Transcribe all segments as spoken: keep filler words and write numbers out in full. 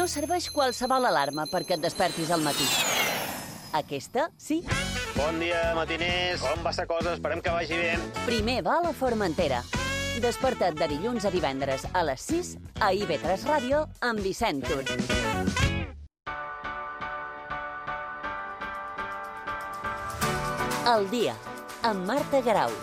No serveix qualsevol alarma perquè et despertis al matí. Aquesta, sí. Bon dia, matiners. Com va la cosa? Esperem que vagi bé. Primer va a la Formentera. Desperta't de dilluns a divendres a les sis a I V tres Ràdio amb Vicent Tur. El dia, amb Marta Garau.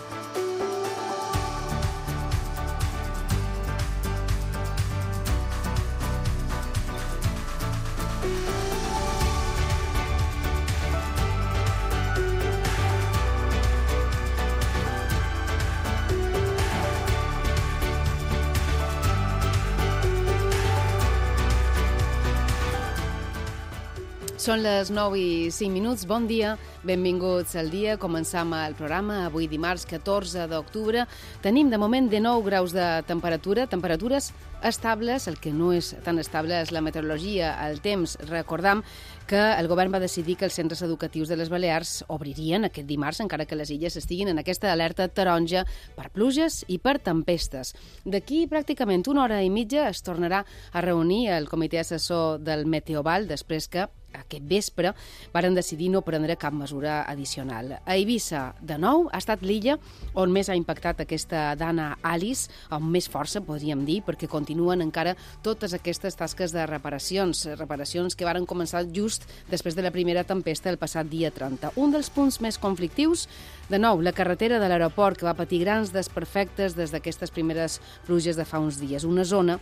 Són les nou i cinc minuts. Bon dia, benvinguts al dia. Començam el programa avui dimarts catorze d'octubre. Tenim de moment de nou graus de temperatura, temperatures estables. El que no és tan estable és la meteorologia, el temps. Recordam que el govern va decidir que els centres educatius de les Balears obririen aquest dimarts, encara que les illes estiguin en aquesta alerta taronja per pluges i per tempestes. D'aquí pràcticament una hora i mitja es tornarà a reunir el comitè assessor del Meteoval després que aquest vespre varen decidir no prendre cap mesura addicional. A Eivissa, de nou, ha estat l'illa on més ha impactat aquesta Dana Alice, amb més força, podríem dir, perquè continuen encara totes aquestes tasques de reparacions, reparacions que varen començar just després de la primera tempesta el passat dia trenta. Un dels punts més conflictius, de nou, la carretera de l'aeroport, que va patir grans desperfectes des d'aquestes primeres pluges de fa uns dies. Una zona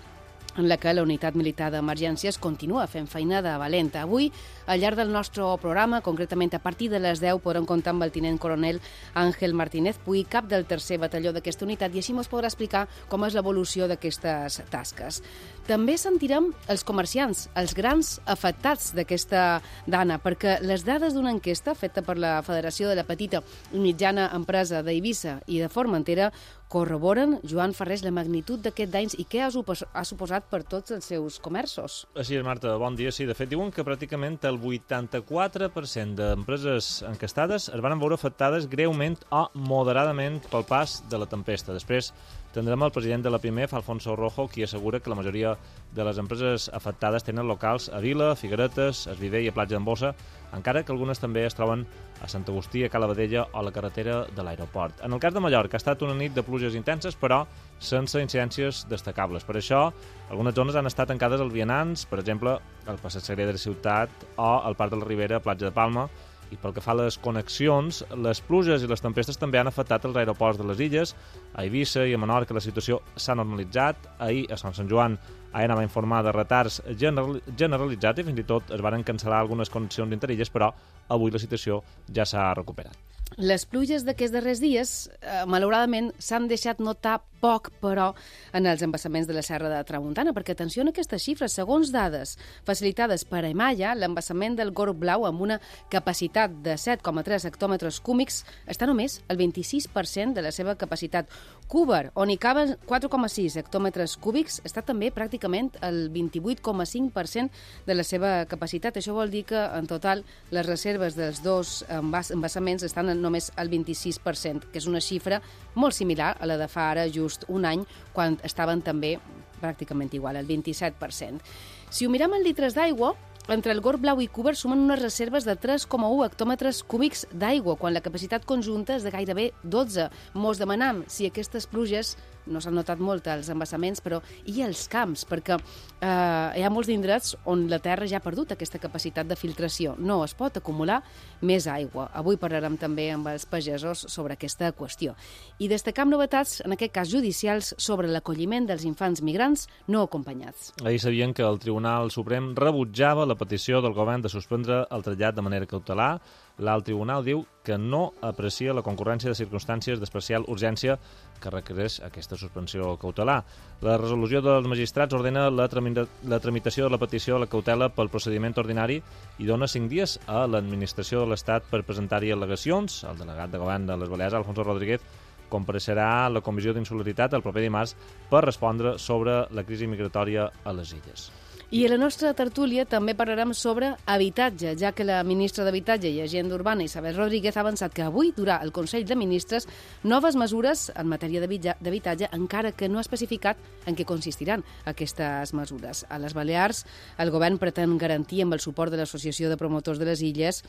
en la que la unitat militar d'emergències continua fent feinada valenta. Avui, al llarg del nostre programa, concretament a partir de les deu, podrem comptar amb el tinent coronel Àngel Martínez Puy, cap del tercer batalló d'aquesta unitat, i així ens podrà explicar com és l'evolució d'aquestes tasques. També sentirem els comerciants, els grans afectats d'aquesta dana, perquè les dades d'una enquesta feta per la Federació de la Petita i Mitjana Empresa d'Eivissa i de Formentera corroboren, Joan Ferrés, la magnitud d'aquest danys i què ha suposat per tots els seus comerços. Així és, Marta, bon dia. Sí, de fet, diuen que pràcticament el vuitanta-quatre per cent d'empreses encastades es van veure afectades greument o moderadament pel pas de la tempesta. Després tindrem el president de la Pimef, Alfonso Rojo, qui assegura que la majoria de les empreses afectades tenen locals a Vila, Figueretes, a Esviver i a Platja d'en Bossa, encara que algunes també es troben a Sant Agustí, a Cala Vedella o a la carretera de l'aeroport. En el cas de Mallorca ha estat una nit de pluges intenses, però sense incidències destacables. Per això, algunes zones han estat tancades als vianants, per exemple, el Passeig Sagrera de la Ciutat o el Parc de la Ribera, Platja de Palma. I pel que fa a les connexions, les pluges i les tempestes també han afectat els aeroports de les illes. A Eivissa i a Menorca la situació s'ha normalitzat. Ahir, a Sant Sant Joan, Aena va informar de retards general, generalitzats i fins i tot es varen cancel·lar algunes connexions interilles, però avui la situació ja s'ha recuperat. Les pluges d'aquests darrers dies, eh, malauradament, s'han deixat notar poc, però, en els embassaments de la Serra de Tramuntana, perquè atenció a aquestes xifres. Segons dades facilitades per Emalla, l'embassament del Gorg Blau, amb una capacitat de set coma tres hectòmetres cúbics, està només el vint-i-sis per cent de la seva capacitat. Cúber, on hi caben quatre coma sis hectòmetres cúbics, està també pràcticament el vint-i-vuit coma cinc per cent de la seva capacitat. Això vol dir que, en total, les reserves dels dos embassaments estan en només el vint-i-sis per cent, que és una xifra molt similar a la de fa ara just un any, quan estaven també pràcticament igual, el vint-i-set per cent. Si ho mirem en litres d'aigua, entre el Gorg Blau i Cúber sumen unes reserves de tres coma u hectòmetres cúbics d'aigua, quan la capacitat conjunta és de gairebé dotze. Mos demanam si aquestes pluges, no s'han notat molt als embassaments, però i als camps, perquè eh, hi ha molts indrets on la terra ja ha perdut aquesta capacitat de filtració. No es pot acumular més aigua. Avui parlarem també amb els pagesos sobre aquesta qüestió. I destacam novetats, en aquest cas judicials, sobre l'acolliment dels infants migrants no acompanyats. Ahir sabien que el Tribunal Suprem rebutjava la petició del govern de suspendre el trasllat de manera cautelar. L'alt tribunal diu que no aprecia la concurrència de circumstàncies d'especial urgència que requereix aquesta suspensió cautelar. La resolució dels magistrats ordena la, tramita la tramitació de la petició de la cautela pel procediment ordinari i dona cinc dies a l'administració de l'Estat per presentar-hi al·legacions. El delegat de govern de les Balears, Alfonso Rodríguez, compareixerà a la Comissió d'Insularitat el proper dimarts per respondre sobre la crisi migratòria a les illes. I a la nostra tertúlia també parlarem sobre habitatge, ja que la ministra d'Habitatge i Agenda Urbana, Isabel Rodríguez, ha avançat que avui durà el Consell de Ministres noves mesures en matèria d'habitatge, encara que no ha especificat en què consistiran aquestes mesures. A les Balears, el govern pretén garantir, amb el suport de l'Associació de Promotors de les Illes,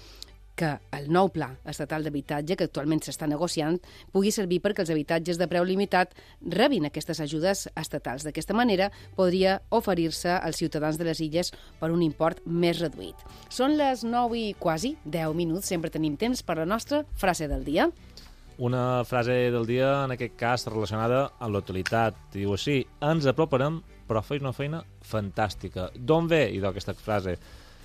que el nou pla estatal d'habitatge, que actualment s'està negociant, pugui servir perquè els habitatges de preu limitat rebin aquestes ajudes estatals. D'aquesta manera, podria oferir-se als ciutadans de les illes per un import més reduït. Són les nou i quasi deu minuts. Sempre tenim temps per la nostra frase del dia. Una frase del dia, en aquest cas, relacionada amb l'actualitat. Diu així: ens aproparem, però feis una feina fantàstica. D'on ve, idò, aquesta frase?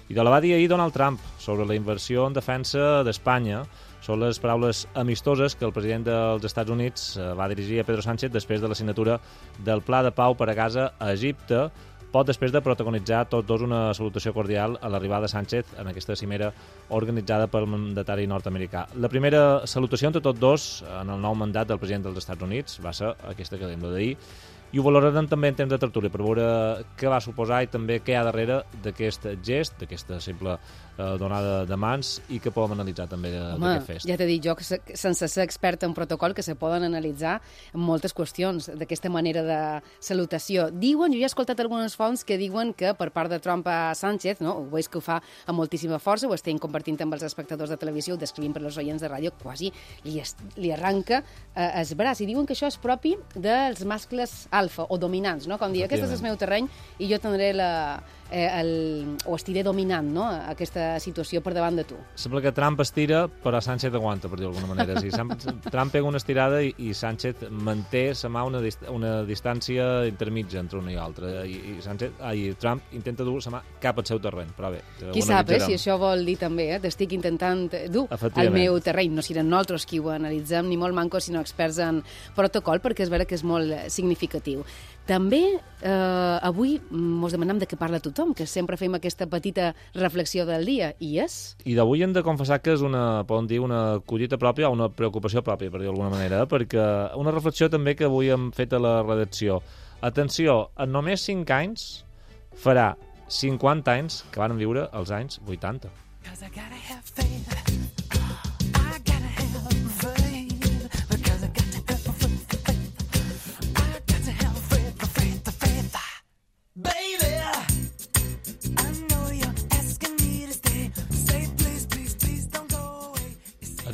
I la va dir ahir Donald Trump sobre la inversió en defensa d'Espanya. Són les paraules amistoses que el president dels Estats Units va dirigir a Pedro Sánchez després de la signatura del Pla de Pau per a Gaza a Egipte, poc després de protagonitzar tots dos una salutació cordial a l'arribada de Sánchez en aquesta cimera organitzada pel mandatari nord-americà. La primera salutació entre tots dos en el nou mandat del president dels Estats Units va ser aquesta que hem de dir, i ho valorarem també en temps de tertúlia per veure què va suposar i també què hi ha darrere d'aquest gest, d'aquesta simple eh, donada de mans, i que podem analitzar també d'aquest fest. Ja t'he dit jo, que se, sense ser experta en protocol, que se poden analitzar moltes qüestions d'aquesta manera de salutació. Diuen, jo ja he escoltat algunes fonts que diuen que per part de Trump a Sánchez, no, ho veus que ho fa amb moltíssima força, ho estem compartint amb els espectadors de televisió, ho descrivim per als oients de ràdio, quasi li, es, li arranca eh, el braç, i diuen que això és propi dels mascles alfa o dominants, no? Com dir, aquest és el meu terreny i jo tindré la, eh, el, o estiré dominant, no? Aquesta situació per davant de tu. Sembla que Trump estira, però Sánchez aguanta, per dir d'alguna manera. Sí, Trump pega una estirada i, i Sánchez manté sa mà una, dist una distància intermitja entre una i altra. I, i, Sánchez, ah, i Trump intenta dur sa mà cap al seu terreny, però bé. Qui sap, eh, si això vol dir també, eh? T'estic intentant dur al meu terreny. No serem nosaltres qui ho analitzem, ni molt mancos, sinó experts en protocol, perquè és vera que és molt significatiu. També eh, avui mos demanem de què parla tothom, que sempre fem aquesta petita reflexió del dia, i és? I d'avui hem de confessar que és una, podem dir, una collita pròpia o una preocupació pròpia, per dir d'alguna manera, perquè una reflexió també que avui hem fet a la redacció. Atenció, en només cinc anys farà cinquanta anys que van viure els anys vuitanta.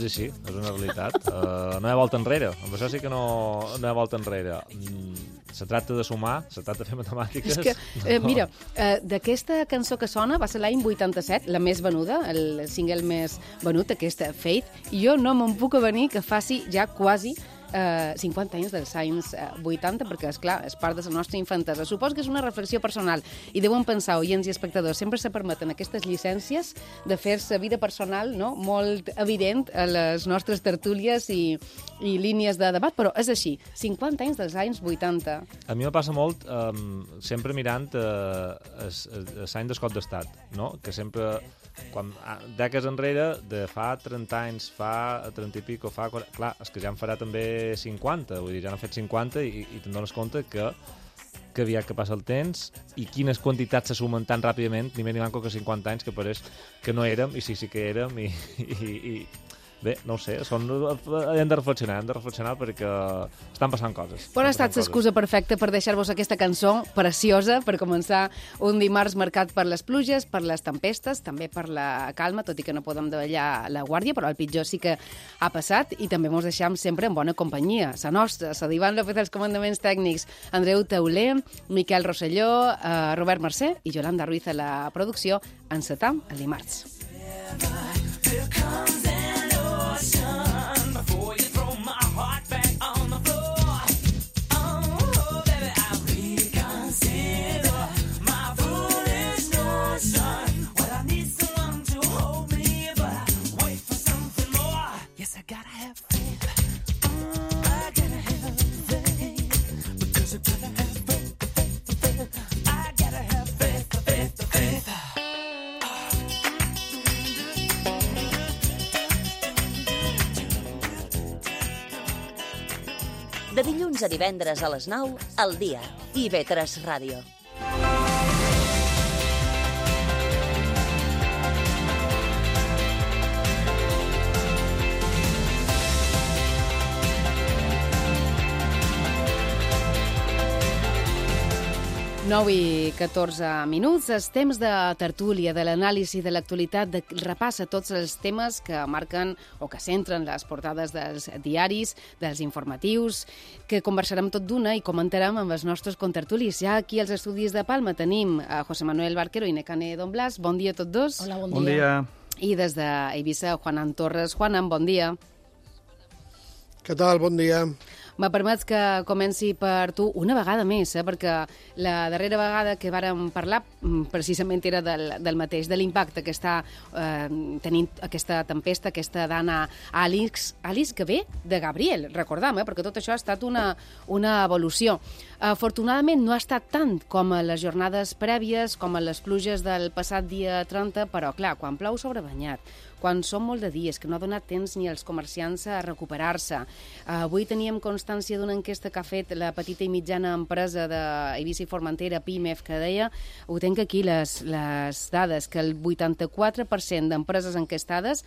És així, és una realitat. Uh, no hi ha volta enrere. Amb això sí que no, no hi ha volta enrere. Mm, se tracta de sumar, se tracta de fer matemàtiques. És que, eh, no. Mira, eh, d'aquesta cançó que sona va ser l'any vuitanta-set, la més venuda, el single més venut, aquesta Faith, i jo no me'n puc avenir que faci ja quasi Uh, cinquanta anys dels anys uh, vuitanta, perquè, esclar, és part de la nostra infantesa. Suposo que és una reflexió personal i deuen pensar, oients i espectadors, sempre se permeten aquestes llicències de fer-se vida personal, no?, molt evident a les nostres tertúlies i, i línies de debat, però és així, cinquanta anys dels anys vuitanta. A mi me passa molt um, sempre mirant uh, l'any d'escot d'estat, no?, que sempre, quan, dècades enrere, de fa trenta anys, fa trenta i pico, fa quaranta, clar, és que ja en farà també cinquanta, vull dir, ja n'han fet cinquanta i, i te'n dones compte que que aviat que passa el temps i quines quantitats se sumen tan ràpidament, ni més ni manco que cinquanta anys, que pareix que no érem, i sí, sí que érem, i, i, i bé, no ho sé, són, hem de reflexionar, hem de reflexionar perquè estan passant coses. Però ha estat l'excusa perfecta per deixar-vos aquesta cançó preciosa per començar un dimarts marcat per les pluges, per les tempestes, també per la calma, tot i que no podem davallar la guàrdia, però el pitjor sí que ha passat, i també mos deixam sempre en bona companyia, la nostra, la d'Ivan López dels comandaments tècnics, Andreu Tauler, Miquel Rosselló, eh, Robert Mercè i Yolanda Ruiz a la producció. Encetam el dimarts. Before you throw my heart back on the floor, oh, baby, I really consider my foolish notion. Well, I need someone to hold me, but I wait for something more. Yes, I gotta have faith. I gotta have faith, because I gotta have faith, faith, faith. I gotta have faith, faith, faith. De dilluns a divendres a les nou, al dia. I ve tres Ràdio. nou i catorze minuts, els temps de tertúlia, de l'anàlisi de l'actualitat, de repassa tots els temes que marquen o que centren les portades dels diaris, dels informatius, que conversarem tot d'una i comentarem amb els nostres contertulis. Ja aquí als estudis de Palma tenim a José Manuel Barquero i Nekane Don Blas. Bon dia a tots dos. Hola, bon, bon dia. dia. I des d'Eivissa, Juanan Torres. Juanan, bon dia. Què tal? Bon dia. Me permets que comenci per tu una vegada més, eh? perquè la darrera vegada que vàrem parlar precisament era del, del mateix, de l'impacte que està eh, tenint aquesta tempesta, aquesta dana Alice, Alice que ve de Gabriel, recordam, eh? perquè tot això ha estat una, una evolució. Afortunadament no ha estat tant com a les jornades prèvies, com a les pluges del passat dia trenta, però clar, quan plou sobrebanyat, quan són molt de dies, que no ha donat temps ni als comerciants a recuperar-se. Avui teníem constància d'una enquesta que ha fet la petita i mitjana empresa d'Eivissa i Formentera, PIMEF, que deia, ho tenc aquí les, les dades, que el vuitanta-quatre per cent d'empreses enquestades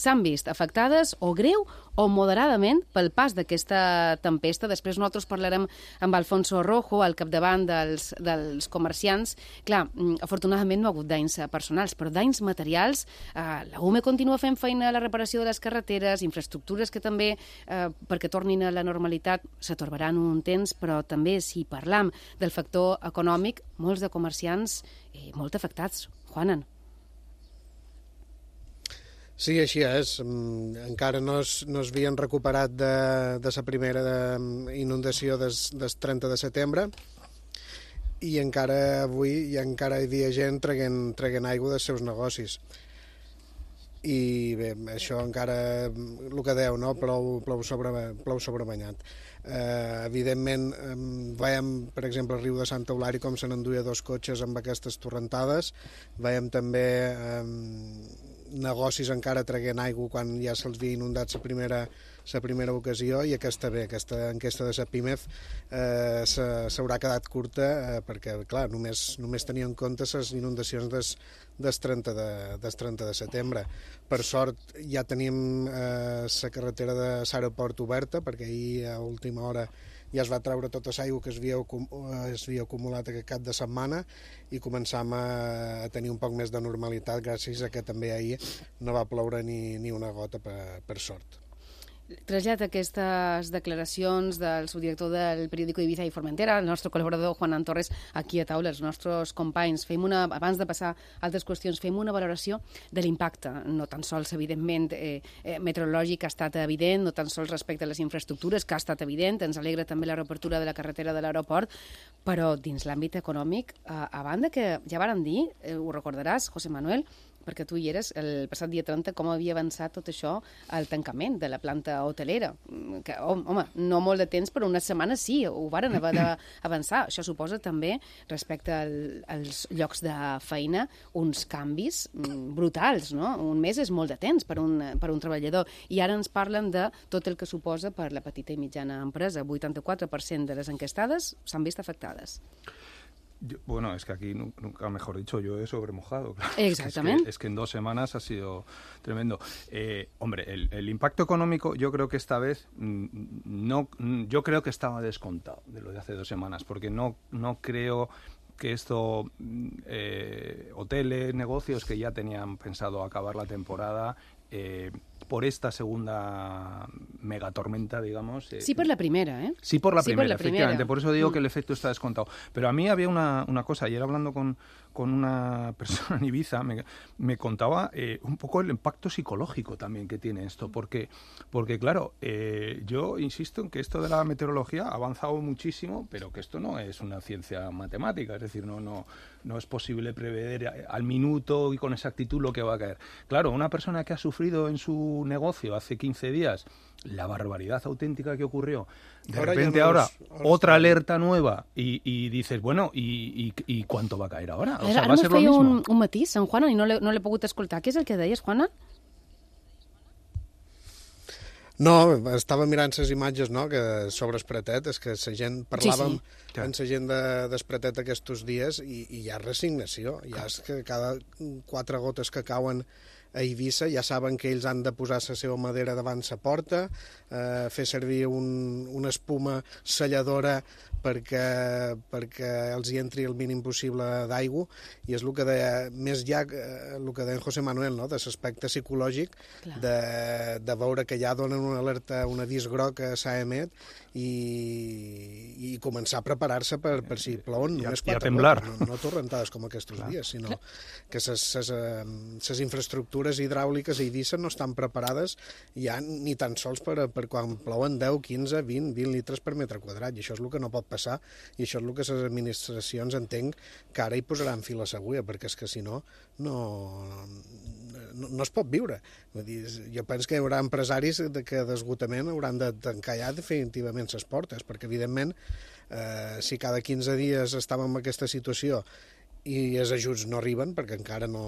s'han vist afectades o greu o moderadament pel pas d'aquesta tempesta. Després nosaltres parlarem amb Alfonso Rojo, al capdavant dels, dels comerciants. Clar, afortunadament no ha hagut danys personals, però danys materials. Eh, la U M E continua fent feina a la reparació de les carreteres, infraestructures que també, eh, perquè tornin a la normalitat, s'atorbaran un temps, però també si parlam del factor econòmic, molts de comerciants eh, molt afectats. Juanan. Sí, així és. Encara no es, no es havien recuperat de, de la primera de inundació des, des trenta de setembre i encara avui i encara hi havia gent traguent, traguent aigua dels seus negocis. I bé, això encara, el que deu, no? plou, plou, sobre, plou sobrebanyat. Eh, evidentment, eh, veiem, per exemple, al riu de Santa Eulària com se n'enduia dos cotxes amb aquestes torrentades. Veiem també eh, negocis encara traguent aigua quan ja se'ls havia inundat la primera, la primera ocasió, i aquesta bé, aquesta enquesta de la PIMEF eh, s'haurà quedat curta eh, perquè, clar, només, només tenia en compte les inundacions des, des, trenta de, des trenta de setembre. Per sort ja tenim eh, la carretera de l'aeroport oberta, perquè ahir a última hora ja es va treure tota l'aigua que es havia, es havia acumulat aquest cap de setmana i començam a, a tenir un poc més de normalitat gràcies a que també ahir no va ploure ni, ni una gota per, per sort. Trasllat aquestes declaracions del subdirector del periòdico Eivissa i Formentera, el nostre col·laborador Juanan Torres, aquí a taula, els nostres companys. Fem una, abans de passar a altres qüestions, fem una valoració de l'impacte, no tan sols, evidentment, eh, eh, meteorològic, ha estat evident, no tan sols respecte a les infraestructures, que ha estat evident, ens alegra també la reobertura de la carretera de l'aeroport, però dins l'àmbit econòmic, eh, a banda que ja varen dir, eh, ho recordaràs, José Manuel, perquè tu hi eres, el passat dia trenta, com havia avançat tot això al tancament de la planta hotelera. Que, home, no molt de temps, però unes setmanes sí, ho varen haver d'avançar. Això suposa també, respecte al, als llocs de feina, uns canvis brutals, no? Un mes és molt de temps per un, per un treballador. I ara ens parlen de tot el que suposa per la petita i mitjana empresa. vuitanta-quatre per cent de les enquestades s'han vist afectades. Yo, bueno, es que aquí nunca, mejor dicho, yo he sobremojado. Claro. Exactamente. Es que, es que en dos semanas ha sido tremendo. Eh, hombre, el, el impacto económico, yo creo que esta vez, no, yo creo que estaba descontado de lo de hace dos semanas, porque no, no creo que esto, eh, hoteles, negocios que ya tenían pensado acabar la temporada, eh, por esta segunda megatormenta, digamos. Eh, sí, por la primera, ¿eh? Sí, por la sí, primera, por la efectivamente. Primera. Por eso digo mm. que el efecto está descontado. Pero a mí había una, una cosa, ayer hablando con, con una persona en Ibiza, me, me contaba eh, un poco el impacto psicológico también que tiene esto. Porque, porque claro, eh, yo insisto en que esto de la meteorología ha avanzado muchísimo, pero que esto no es una ciencia matemática. Es decir, no, no, no es posible prever al minuto y con exactitud lo que va a caer. Claro, una persona que ha sufrido en su negocio hace quince días la barbaridad auténtica que ocurrió, de ahora repente ahora, ahora otra alerta nueva y, y dices, bueno, ¿y, y, y cuánto va a caer ahora? O sea, ara va a ser lo mismo. un, un matís, en Juana, i no l'he no l'he pogut escoltar. Què és el que deies, Juana? No, estava mirant les imatges, no?, que sobre Espretet, és que la gent, parlàvem sí, sí. amb la gent de, d'Espretet aquests dies i, i hi ha resignació, ja és que cada quatre gotes que cauen a Eivissa ja saben que ells han de posar la seva madera davant la porta, eh, fer servir un, una espuma selladora perquè, perquè els hi entri el mínim possible d'aigua, i és el que deia, més ja el que deia en José Manuel, no? De l'aspecte psicològic, de, de veure que ja donen una alerta, un avís groc a Saemet, i, i començar a preparar-se per, per si plouen només quatre gotes, no, no torrentades com aquests dies, sinó que les infraestructures hidràuliques a Eivissa no estan preparades ja ni tan sols per, per quan plouen deu, quinze, vint, vint litres per metre quadrat, i això és el que no pot passar, i això és el que les administracions entenc que ara hi posaran fil a l'agulla, perquè és que si no, no, no, no es pot viure. Vull dir, jo penso que hi haurà empresaris que d'esgotament hauran de tancar ja definitivament les portes, perquè evidentment eh, si cada quinze dies estàvem en aquesta situació i els ajuts no arriben, perquè encara no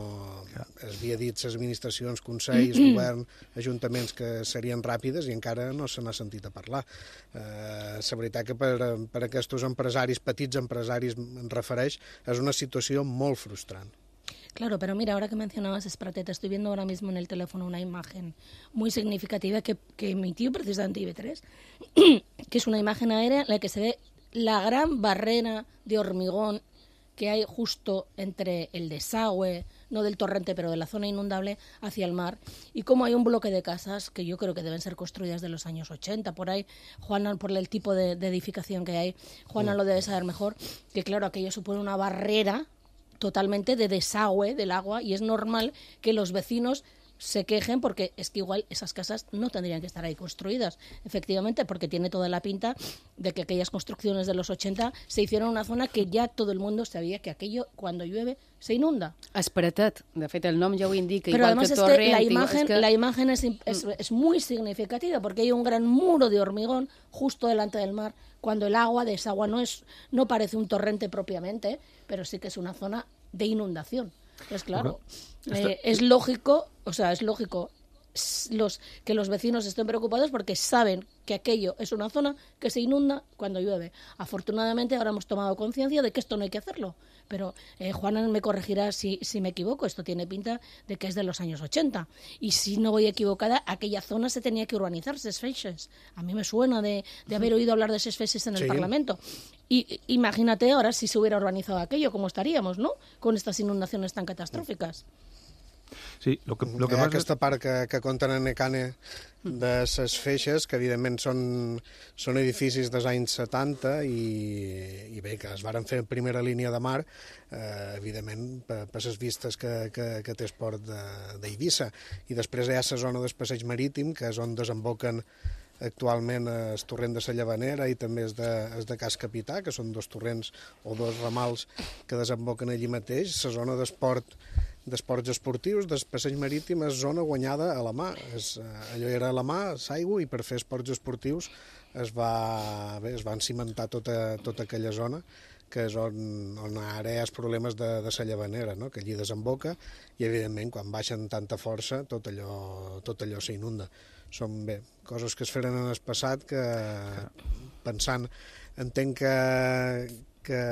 es havia dit les administracions, consells, govern, ajuntaments que serien ràpides i encara no se n'ha sentit a parlar. Eh, la veritat que per, per aquests empresaris, petits empresaris em refereix, és una situació molt frustrant. Claro, pero mira, ahora que mencionabas Espratet, estoy viendo ahora mismo en el teléfono una imagen muy significativa que, que emitió precisamente I B tres, que es una imagen aérea en la que se ve la gran barrera de hormigón que hay justo entre el desagüe, no del torrente, pero de la zona inundable, hacia el mar, y cómo hay un bloque de casas que yo creo que deben ser construidas de los años ochenta, por ahí, Juana, por el tipo de, de edificación que hay, Juana lo debe saber mejor, que claro, aquello supone una barrera totalmente de desagüe del agua, y es normal que los vecinos se quejen porque es que igual esas casas no tendrían que estar ahí construidas, efectivamente, porque tiene toda la pinta de que aquellas construcciones de los ochenta se hicieron en una zona que ya todo el mundo sabía que aquello, cuando llueve, se inunda. Espratet, de fet, el nom ja ho indica. Pero igual además que es Torrent, que la imagen, es que... la imagen es, es, es muy significativa, porque hay un gran muro de hormigón justo delante del mar, cuando el agua de esa agua no, es, no parece un torrente propiamente, pero sí que es una zona de inundación. Pues claro, eh, es lógico, o sea, es lógico los, que los vecinos estén preocupados porque saben que aquello es una zona que se inunda cuando llueve. Afortunadamente ahora hemos tomado conciencia de que esto no hay que hacerlo, pero eh, Juana me corregirá si, si me equivoco, esto tiene pinta de que es de los años ochenta, y si no voy equivocada, aquella zona se tenía que urbanizar, ses feixes. A mí me suena de, de haber oído hablar de ses feixes en el sí. Parlamento. Y imagínate ahora si se hubiera urbanizado aquello, cómo estaríamos, ¿no?, con estas inundaciones tan catastróficas. Sí, lo que, lo que Hi ha passa... aquesta part que, que compten en Ecane de ses feixes, que evidentment són, són edificis dels anys setanta i, i bé, que es varen fer en primera línia de mar, eh, evidentment per, per les vistes que, que, que té el port d'Eivissa. I després hi ha la zona del passeig marítim, que és on desemboquen actualment el torrent de la Llavanera i també és de, és de Cas Capità, que són dos torrents o dos ramals que desemboquen allí mateix. La zona d'esport d'esports esportius, del passeig marítim, és zona guanyada a la mà. És, allò era a la mà, l'aigua, i per fer esports esportius es va, bé, es va cimentar tota, tota aquella zona, que és on, on ara hi ha els problemes de, de la Llavanera, no?, que allí desemboca, i evidentment quan baixen tanta força tot allò, tot allò s'inunda. Són bé, coses que es feren en el passat que, pensant, entenc que, que,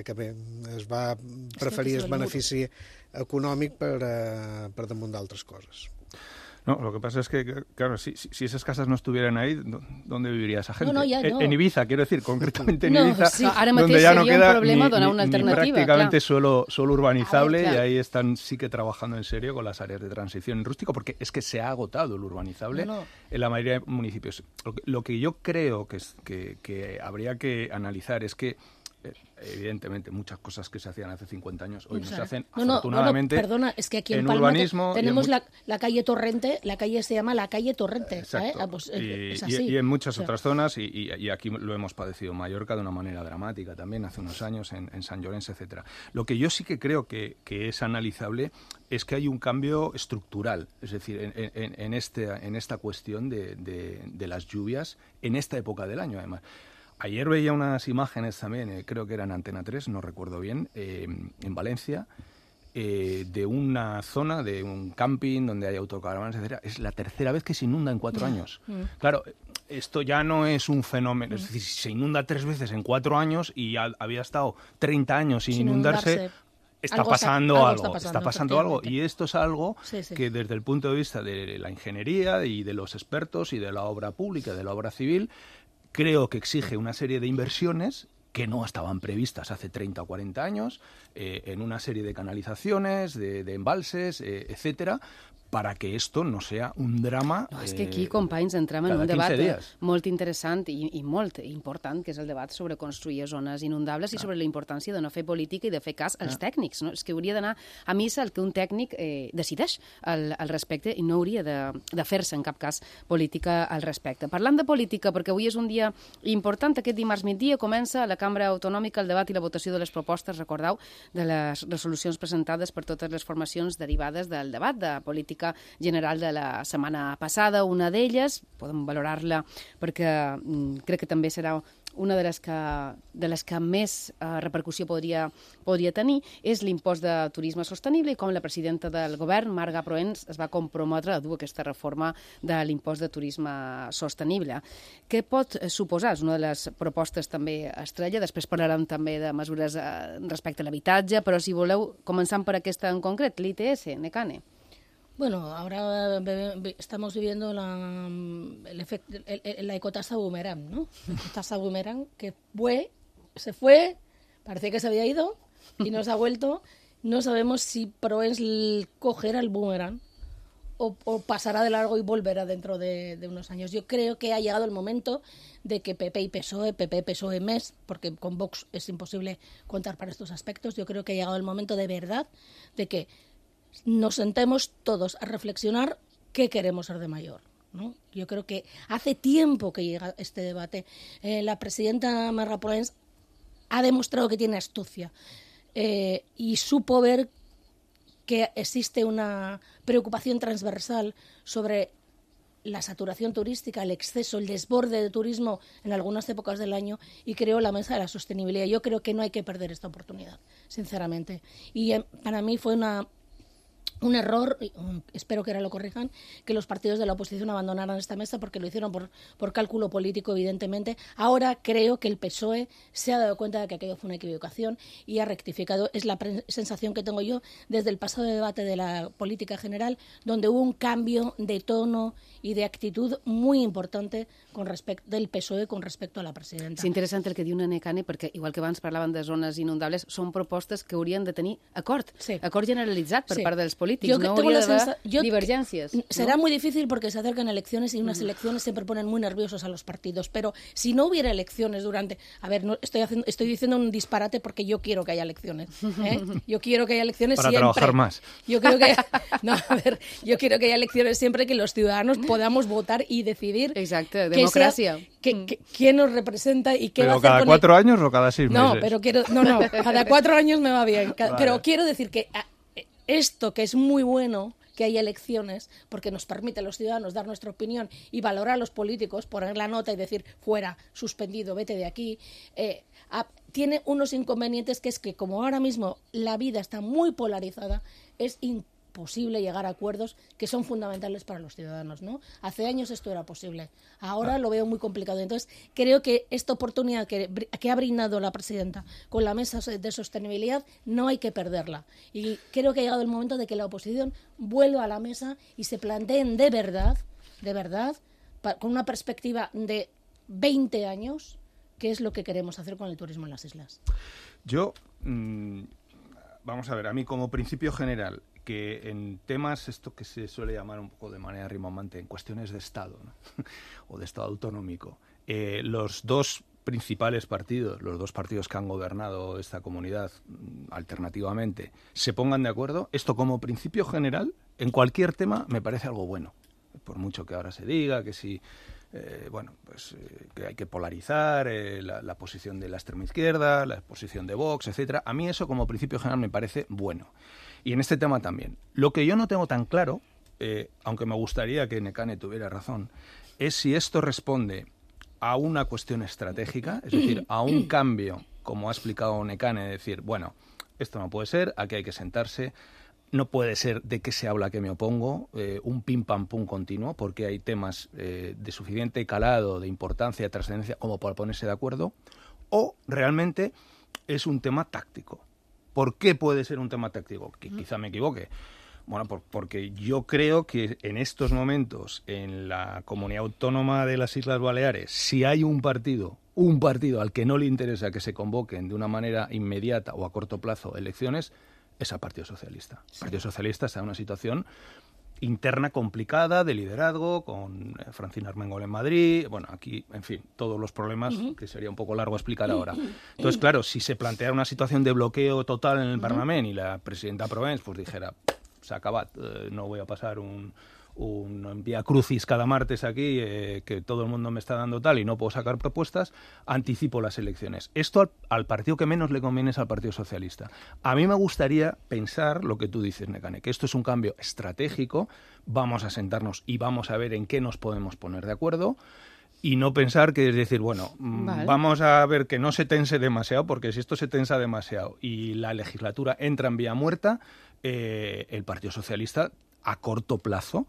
que bé, es va preferir el benefici econòmic per, eh, per damunt d'altres coses. No, lo que pasa es que, claro, si, si esas casas no estuvieran ahí, ¿dónde viviría esa gente? No, no, ya no. En, en Ibiza, quiero decir, concretamente en no, Ibiza, sí. Ahora donde ya no queda un problema ni, donar ni, una ni alternativa, prácticamente clar. suelo, suelo urbanizable, ver, claro. Y ahí están sí que trabajando en serio con las áreas de transición en rústico, porque es que se ha agotado el urbanizable no, no. en la mayoría de municipios. Lo que, lo que yo creo que, es, que, que habría que analizar es que evidentemente muchas cosas que se hacían hace cincuenta años hoy o sea, no se hacen no, no, afortunadamente. No, no, perdona, es que aquí en, en Palma urbanismo tenemos en la, la calle Torrente, la calle se llama la calle Torrente. Exacto. ¿eh? Pues, y, es así. Y, y en muchas o sea. otras zonas, y, y, y aquí lo hemos padecido en Mallorca de una manera dramática también hace unos años, en, en San Llorenç, etcétera. Lo que yo sí que creo que, que es analizable es que hay un cambio estructural, es decir, en, en, en, este, en esta cuestión de, de, de las lluvias en esta época del año, además. Ayer veía unas imágenes también, eh, creo que eran Antena tres, no recuerdo bien, eh, en Valencia, eh, de una zona, de un camping donde hay autocaravanas, etcétera. Es la tercera vez que se inunda en cuatro años. Mm. Claro, esto ya no es un fenómeno, mm. es decir, se inunda tres veces en cuatro años y ha, había estado treinta años sin, sin inundarse, inundarse, está algo pasando está, algo, algo está pasando, está pasando algo, y esto es algo sí, sí. que desde el punto de vista de la ingeniería y de los expertos y de la obra pública, de la obra civil, creo que exige una serie de inversiones que no estaban previstas hace treinta o cuarenta años, eh, en una serie de canalizaciones, de, de embalses, eh, etcétera, para que esto no sea un drama. No, és que aquí, eh, companys, entrem en cada un debat dies. molt interessant i, i molt important, que és el debat sobre construir zones inundables ah. i sobre la importància de no fer política i de fer cas als ah. tècnics. No? És que hauria d'anar a missa el que un tècnic eh, decideix al, al respecte i no hauria de, de fer-se en cap cas política al respecte. Parlant de política, perquè avui és un dia important, aquest dimarts migdia comença a la Cambra Autonòmica el debat i la votació de les propostes, recordeu, de les resolucions presentades per totes les formacions derivades del debat de política general de la setmana passada. Una d'elles, podem valorar-la perquè mm, crec que també serà una de les que, de les que més eh, repercussió podria, podria tenir, és l'impost de turisme sostenible i com la presidenta del govern, Marga Proens, es va comprometre a dur aquesta reforma de l'impost de turisme sostenible. Què pot suposar? És una de les propostes també estrella. Després parlarem també de mesures eh, respecte a l'habitatge, però si voleu, començant per aquesta en concret, l'I T S, Nekane. Bueno, ahora estamos viviendo la, el efecto, el, el, la ecotasa boomerang, ¿no? La ecotasa boomerang que fue, se fue, parecía que se había ido y no se ha vuelto. No sabemos si Proens cogerá el boomerang o, o pasará de largo y volverá dentro de, de unos años. Yo creo que ha llegado el momento de que P P y P S O E, P P, P S O E, M E S, porque con Vox es imposible contar para estos aspectos, yo creo que ha llegado el momento de verdad de que nos sentemos todos a reflexionar qué queremos ser de mayor, ¿no? Yo creo que hace tiempo que llega este debate. Eh, la presidenta Marga Proens ha demostrado que tiene astucia eh, y supo ver que existe una preocupación transversal sobre la saturación turística, el exceso, el desborde de turismo en algunas épocas del año, y creó la mesa de la sostenibilidad. Yo creo que no hay que perder esta oportunidad, sinceramente. Y eh, para mí fue una... un error, espero que ahora lo corrijan, que los partidos de la oposición abandonaran esta mesa porque lo hicieron por, por cálculo político, evidentemente. Ahora creo que el P S O E se ha dado cuenta de que aquello fue una equivocación y ha rectificado. Es la sensación que tengo yo desde el pasado debate de la política general, donde hubo un cambio de tono y de actitud muy importante con respecto del P S O E con respecto a la presidenta. És interessant el que diu Nekane, perquè igual que abans parlaven de zones inundables, són propostes que haurien de tenir acord, sí. acord generalitzat per sí. part dels polítics. Yo no tengo hauria la sensa... yo... divergències. ¿no? Será muy difícil porque se acercan elecciones y unas mm. elecciones siempre ponen muy nerviosos a los partidos, pero si no hubiera elecciones durante... A ver, no estoy, haciendo, estoy diciendo un disparate porque yo quiero que haya elecciones. ¿eh? Yo quiero que haya elecciones Para siempre. trabajar más. Yo creo que... No, a ver, yo quiero que haya elecciones siempre, que los ciudadanos podamos votar y decidir... Exacto, democracia. Que sea, que, que, ¿quién nos representa y qué ¿Pero va a hacer cada con cuatro el... años o cada seis no, meses? No, pero quiero... No, no, cada cuatro años me va bien. Vale. Pero quiero decir que esto, que es muy bueno... que haya elecciones, porque nos permite a los ciudadanos dar nuestra opinión y valorar a los políticos, poner la nota y decir fuera, suspendido, vete de aquí, eh, a, tiene unos inconvenientes, que es que como ahora mismo la vida está muy polarizada, es imposible llegar a acuerdos que son fundamentales para los ciudadanos, ¿no? Hace años esto era posible, ahora lo veo muy complicado. Entonces creo que esta oportunidad que, que ha brindado la presidenta con la mesa de sostenibilidad no hay que perderla, y creo que ha llegado el momento de que la oposición vuelva a la mesa y se planteen de verdad, de verdad, pa, con una perspectiva de veinte años, qué es lo que queremos hacer con el turismo en las islas. Yo, mmm, vamos a ver, a mí como principio general, que en temas, esto que se suele llamar un poco de manera rimbombante, en cuestiones de Estado, ¿no? o de Estado autonómico, eh, los dos principales partidos, los dos partidos que han gobernado esta comunidad alternativamente, se pongan de acuerdo, esto como principio general, en cualquier tema, me parece algo bueno. Por mucho que ahora se diga que si, eh, bueno, pues eh, que hay que polarizar eh, la, la posición de la extrema izquierda, la posición de Vox, etcétera. A mí eso como principio general me parece bueno. Y en este tema también. Lo que yo no tengo tan claro, eh, aunque me gustaría que Nekane tuviera razón, es si esto responde a una cuestión estratégica, es decir, a un cambio, como ha explicado Nekane, de decir, bueno, esto no puede ser, aquí hay que sentarse, no puede ser de qué se habla que me opongo, eh, un pim pam pum continuo, porque hay temas eh, de suficiente calado, de importancia, de trascendencia, como para ponerse de acuerdo, o realmente es un tema táctico. ¿Por qué puede ser un tema táctico? Que quizá me equivoque. Bueno, por, porque yo creo que en estos momentos, en la comunidad autónoma de las Islas Baleares, si hay un partido, un partido al que no le interesa que se convoquen de una manera inmediata o a corto plazo elecciones, es al Partido Socialista. El Partido Socialista está en una situación interna complicada de liderazgo, con Francina Armengol en Madrid, bueno, aquí, en fin, todos los problemas uh-huh. que sería un poco largo explicar ahora. Entonces, claro, si se planteara una situación de bloqueo total en el uh-huh. Parlamento y la presidenta Proens pues dijera, s'ha acabat, eh, no voy a pasar un, un vía crucis cada martes aquí, eh, que todo el mundo me está dando tal y no puedo sacar propuestas, anticipo las elecciones. Esto al, al partido que menos le conviene es al Partido Socialista. A mí me gustaría pensar lo que tú dices, Nekane, que esto es un cambio estratégico, vamos a sentarnos y vamos a ver en qué nos podemos poner de acuerdo, y no pensar que es decir, bueno, vale. vamos a ver que no se tense demasiado, porque si esto se tensa demasiado y la legislatura entra en vía muerta, eh, el Partido Socialista a corto plazo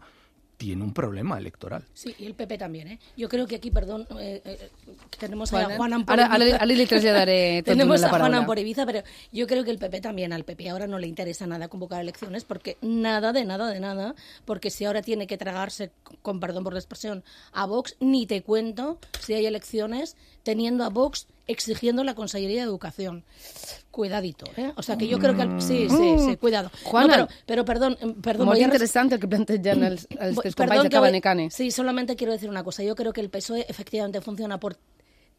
tiene un problema electoral. Sí, y el P P también, ¿eh? Yo creo que aquí, perdón, eh, eh, tenemos Juan, a Juan Ampor Ahora, ahora, ahora le trasladaré tot tenemos la a Juan paraula. Ampor Ibiza, pero yo creo que el P P también, al P P ahora no le interesa nada convocar elecciones, porque nada, de nada, de nada, porque si ahora tiene que tragarse, con perdón por la expresión, a Vox, ni te cuento si hay elecciones teniendo a Vox exigiendo la Consellería de Educación. Cuidadito, ¿eh? O sea, que yo creo que... El... Sí, sí, sí, cuidado. Juana, no, pero, pero perdón... perdón molt voy a... interessant el que plantegen els, els teus Perdón, companys de que voy... Cabanecane. Sí, solamente quiero decir una cosa. Yo creo que el P S O E efectivamente funciona por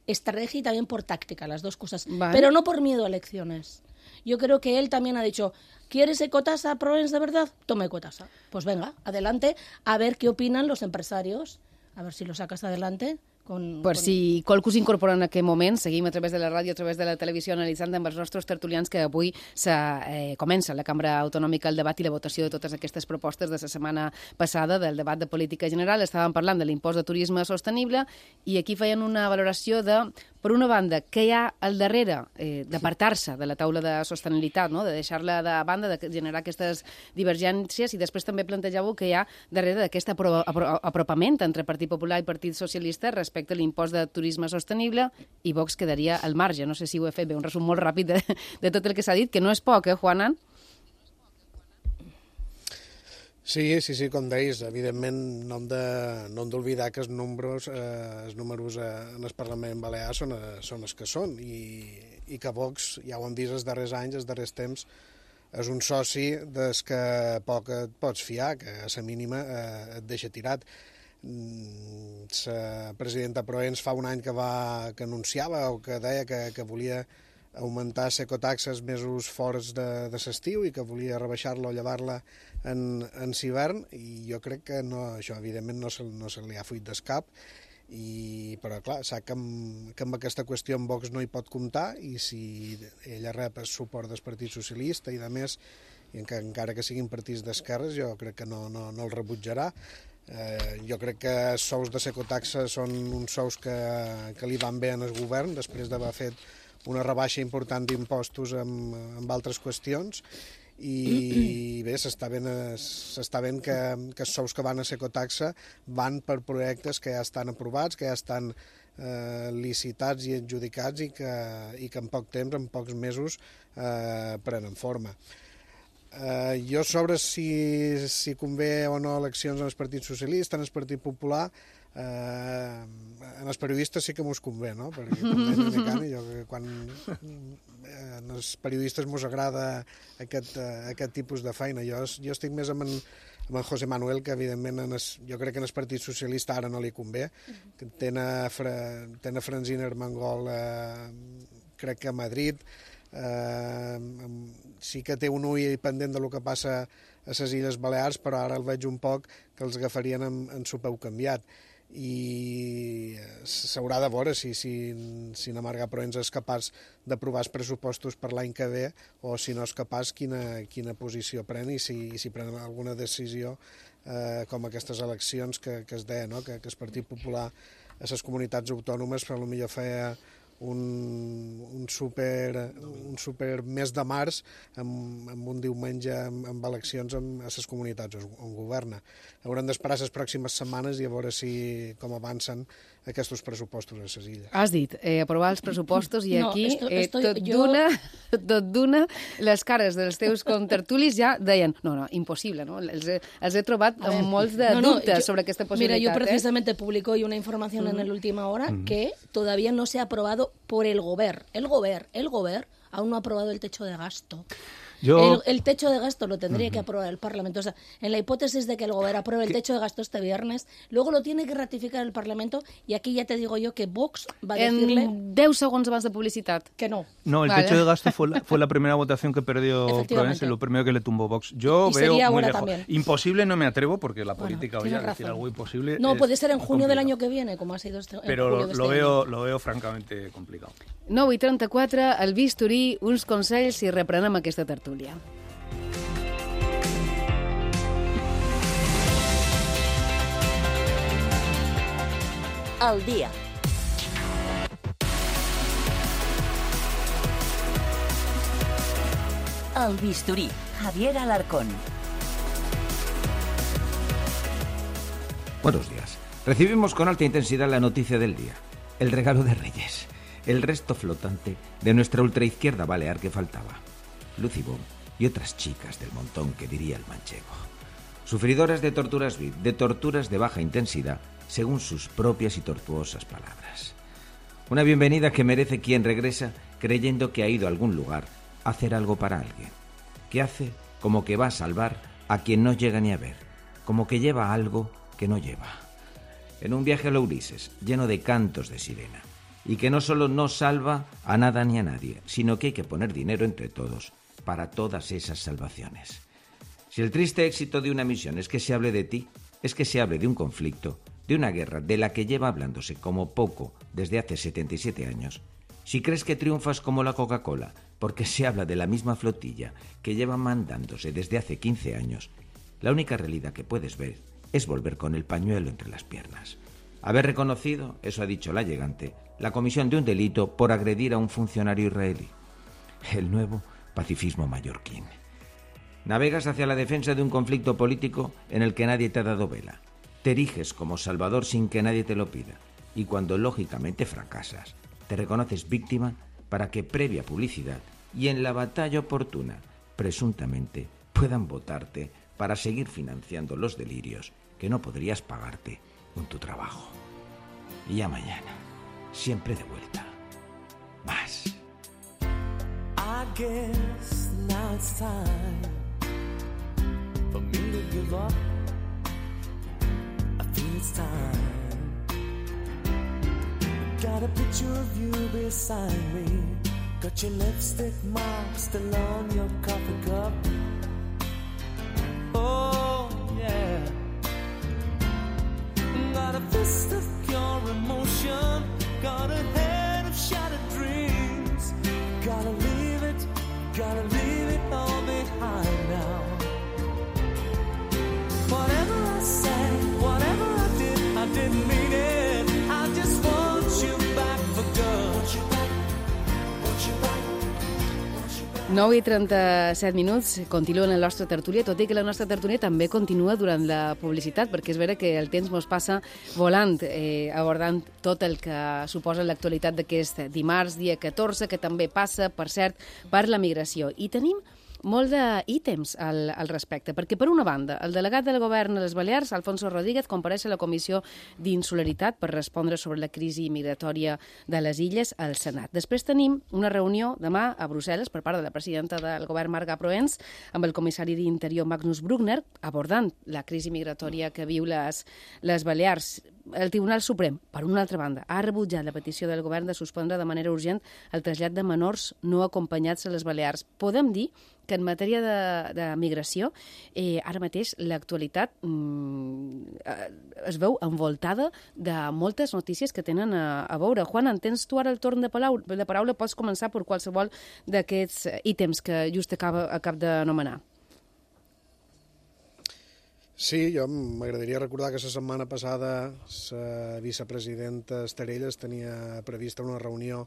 estrategia y también por táctica, las dos cosas. Vale. Pero no por miedo a elecciones. Yo creo que él también ha dicho, ¿quieres ecotasa Proens de verdad? Tome ecotasa. Pues venga, adelante, a ver qué opinan los empresarios. A ver si lo sacas adelante. Con, per con... si qualcú s'incorpora en aquest moment, seguim a través de la ràdio, a través de la televisió, analitzant amb els nostres tertulians que avui eh, comença a la Cambra Autonòmica el debat i la votació de totes aquestes propostes de la setmana passada del debat de política general. Estàvem parlant de l'impost de turisme sostenible i aquí feien una valoració de, per una banda, què hi ha al darrere eh, d'apartar-se de la taula de sostenibilitat, no? De deixar-la de banda, de generar aquestes divergències, i després també plantejàveu que hi ha darrere d'aquest apro apro apropament entre Partit Popular i Partit Socialista respecte respecte a l'impost de turisme sostenible, i Vox quedaria al marge. No sé si ho he fet bé, un resum molt ràpid de, de tot el que s'ha dit, que no és poc, eh, Juanan? Sí, sí, sí, com deies, evidentment no hem de, no hem d'oblidar que els números, eh, els números eh, en el Parlament Balear són, eh, són els que són, i, i que Vox, ja ho hem vist els darrers anys, els darrers temps, és un soci des que poc et pots fiar, que a la mínima eh, et deixa tirat. La presidenta Proens fa un any que va que anunciava o que deia que, que volia augmentar les ecotaxes mesos fora de, de l'estiu i que volia rebaixar-la o llevar-la en, en hivern, i jo crec que no, això evidentment no se, no se li ha fuit del cap, i, però clar, sap que amb, que amb aquesta qüestió en Vox no hi pot comptar, i si ella rep el suport del Partit Socialista i de més, i encara que siguin partits d'esquerres, jo crec que no, no, no el rebutjarà. Eh, jo crec que els sous de l'ecotaxa són uns sous que, que li van bé en el govern després d'haver fet una rebaixa important d'impostos amb, amb altres qüestions, i bé, s'està veient, s'està veient que, que els sous que van a l'ecotaxa van per projectes que ja estan aprovats, que ja estan eh, licitats i adjudicats, i que, i que en poc temps, en pocs mesos, eh, prenen forma. Uh, jo sobre si, si convé o no eleccions en el Partit Socialista, en el Partit Popular, uh, en els periodistes sí que mos convé, no? Perquè com deia Nekane, jo que quan uh, els periodistes mos agrada aquest, uh, aquest tipus de feina. Jo, jo estic més amb en, amb en José Manuel, que evidentment en es, jo crec que en el Partit Socialista ara no li convé. Tenen a Francina Armengol, uh, crec que a Madrid, Uh, sí que té un ull pendent del que passa a les Illes Balears, però ara el veig un poc que els agafarien en, en su peu canviat, i s'haurà de veure si, si, si na Marga Proens és capaç d'aprovar els pressupostos per l'any que ve, o si no és capaç, quina, quina posició pren, i si, i si pren alguna decisió eh, com aquestes eleccions que, que es deia, no? que, que el Partit Popular a les comunitats autònomes per potser feia un, un, super, un super mes de març amb, amb un diumenge amb, amb eleccions amb, a les comunitats on governa. Haurem d'esperar les pròximes setmanes i a veure si com avancen aquests pressupostos a les illes. Has dit, eh, aprovar els pressupostos i No, aquí esto- eh, estoy- tot jo- d'una, tot d'una, les cares dels teus contertulis ja deien, no, no, impossible, no? Els he, els he trobat A ver, amb molts de no, no, dubtes yo- sobre aquesta Mira, possibilitat. yo eh? precisamente publico hoy una información en la última hora que todavía no se ha aprobado por el Gober. El Gober, el Gober aún no ha aprobado el techo de gasto. Yo- El, el techo de gasto lo tendría que aprobar el Parlamento. O sea, en la hipótesis de que el Gobierno apruebe el techo de gasto este viernes, luego lo tiene que ratificar el Parlamento y aquí ya te digo yo que Vox va a decirle En deu segons abans de publicitat. que no. No, el Vale. techo de gasto fue la, fue la primera votación que perdió Efectivamente. Provenza y lo primero que le tumbó Vox. Yo Y veo sería muy ahora lejos. también. Imposible no me atrevo porque la Bueno, política, tienes oye, decir razón. algo imposible. No, es puede ser en muy junio del complicado. año que viene, como ha sido este en Pero julio lo, de lo este veo, año. lo veo francamente complicado. nou i trenta-quatre, el bisturí, uns consells i reprenem aquesta tertúlia. Al dia. El bisturí. Javier Alarcón. Buenos días. Recibimos con alta intensidad la noticia del día. El regalo de Reyes. El resto flotante de nuestra ultraizquierda balear que faltaba. Lucy Bomb y otras chicas del montón que diría el manchego. Sufridoras de torturas V I P, de torturas de baja intensidad, según sus propias y tortuosas palabras. Una bienvenida que merece quien regresa creyendo que ha ido a algún lugar a hacer algo para alguien. Que hace como que va a salvar a quien no llega ni a ver. Como que lleva algo que no lleva. En un viaje a la Ulises, lleno de cantos de sirena. Y que no solo no salva a nada ni a nadie, sino que hay que poner dinero entre todos para todas esas salvaciones. Si el triste éxito de una misión es que se hable de ti, es que se hable de un conflicto, de una guerra de la que lleva hablándose como poco desde hace setenta y siete años, si crees que triunfas como la Coca-Cola porque se habla de la misma flotilla que lleva mandándose desde hace quince años, la única realidad que puedes ver es volver con el pañuelo entre las piernas. Haber reconocido, eso ha dicho la llegante, la comisión de un delito por agredir a un funcionario israelí. El nuevo pacifismo mallorquín. Navegas hacia la defensa de un conflicto político en el que nadie te ha dado vela. Te eriges como salvador sin que nadie te lo pida. Y cuando lógicamente fracasas, te reconoces víctima para que previa publicidad y en la batalla oportuna, presuntamente, puedan votarte para seguir financiando los delirios que no podrías pagarte con tu trabajo. Y ya mañana, siempre de vuelta. Más. I guess now it's time for me to give up. I think it's time. Got a picture of you beside me. Got your lipstick mark still on your coffee cup. Oh, yeah. Got a fist of pure emotion. Got a head of shattered dreams. Gotta leave it, gotta leave it all behind now. Whatever I said, whatever I did, I didn't mean it. I just want you back for good. Want you back, want you back. nou i trenta-set minuts, continuen la nostra tertúlia, tot i que la nostra tertúlia també continua durant la publicitat, perquè és vera que el temps mos passa volant, eh, abordant tot el que suposa l'actualitat d'aquest dimarts, dia catorze, que també passa, per cert, per la migració. I tenim molt d'ítems al, al respecte, perquè per una banda, el delegat del govern a les Balears, Alfonso Rodríguez, compareix a la Comissió d'Insularitat per respondre sobre la crisi migratòria de les illes al Senat. Després tenim una reunió demà a Brussel·les per part de la presidenta del govern, Marga Proens, amb el comissari d'Interior, Magnus Bruckner, abordant la crisi migratòria que viu les, les Balears. El Tribunal Suprem, per una altra banda, ha rebutjat la petició del govern de suspendre de manera urgent el trasllat de menors no acompanyats a les Balears. Podem dir que en matèria de, de migració, eh, ara mateix l'actualitat mm, es veu envoltada de moltes notícies que tenen a, a veure. Juan, en tens tu ara el torn de paraula? De paraula pots començar per qualsevol d'aquests ítems que just acaba, acab d'anomenar. Sí, jo m'agradaria recordar que la setmana passada la vicepresidenta Esterelles tenia prevista una reunió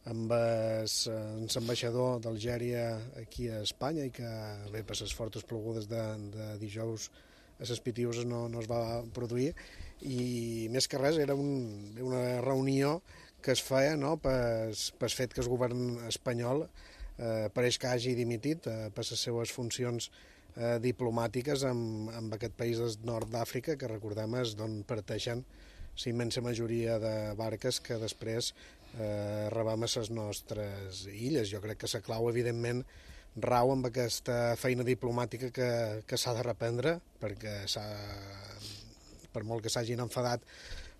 amb l'ambaixador d'Algèria aquí a Espanya i que bé, per les fortes plogudes de, de dijous a les Pitiuses no, no es va produir, i més que res era un, una reunió que es feia, no, pel fet que el govern espanyol eh, pareix que hagi dimitit eh, per les seues funcions eh, diplomàtiques amb, amb aquest país del nord d'Àfrica, que recordem és d'on parteixen la immensa majoria de barques que després eh, rebem a les nostres illes. Jo crec que la clau, evidentment, rau amb aquesta feina diplomàtica que, que s'ha de reprendre, perquè per molt que s'hagin enfadat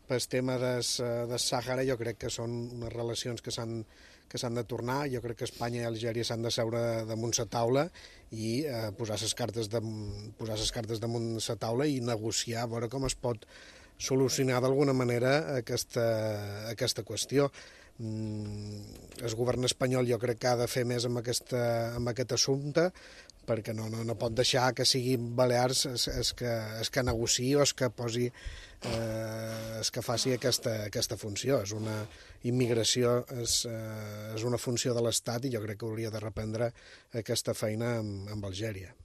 pel tema del de Sàhara, jo crec que són unes relacions que s'han que s'han de tornar. Jo crec que Espanya i Algèria s'han de seure damunt la taula i eh, posar les cartes de, posar les cartes damunt la taula i negociar, a veure com es pot solucionar d'alguna manera aquesta, aquesta qüestió. Mm, el govern espanyol jo crec que ha de fer més amb, aquesta, amb aquest assumpte, perquè no, no, no pot deixar que sigui Balears es, es que, es que negociï o es que posi eh, es que faci aquesta, aquesta funció. És una immigració, és, eh, és una funció de l'Estat i jo crec que hauria de reprendre aquesta feina amb, amb Algèria.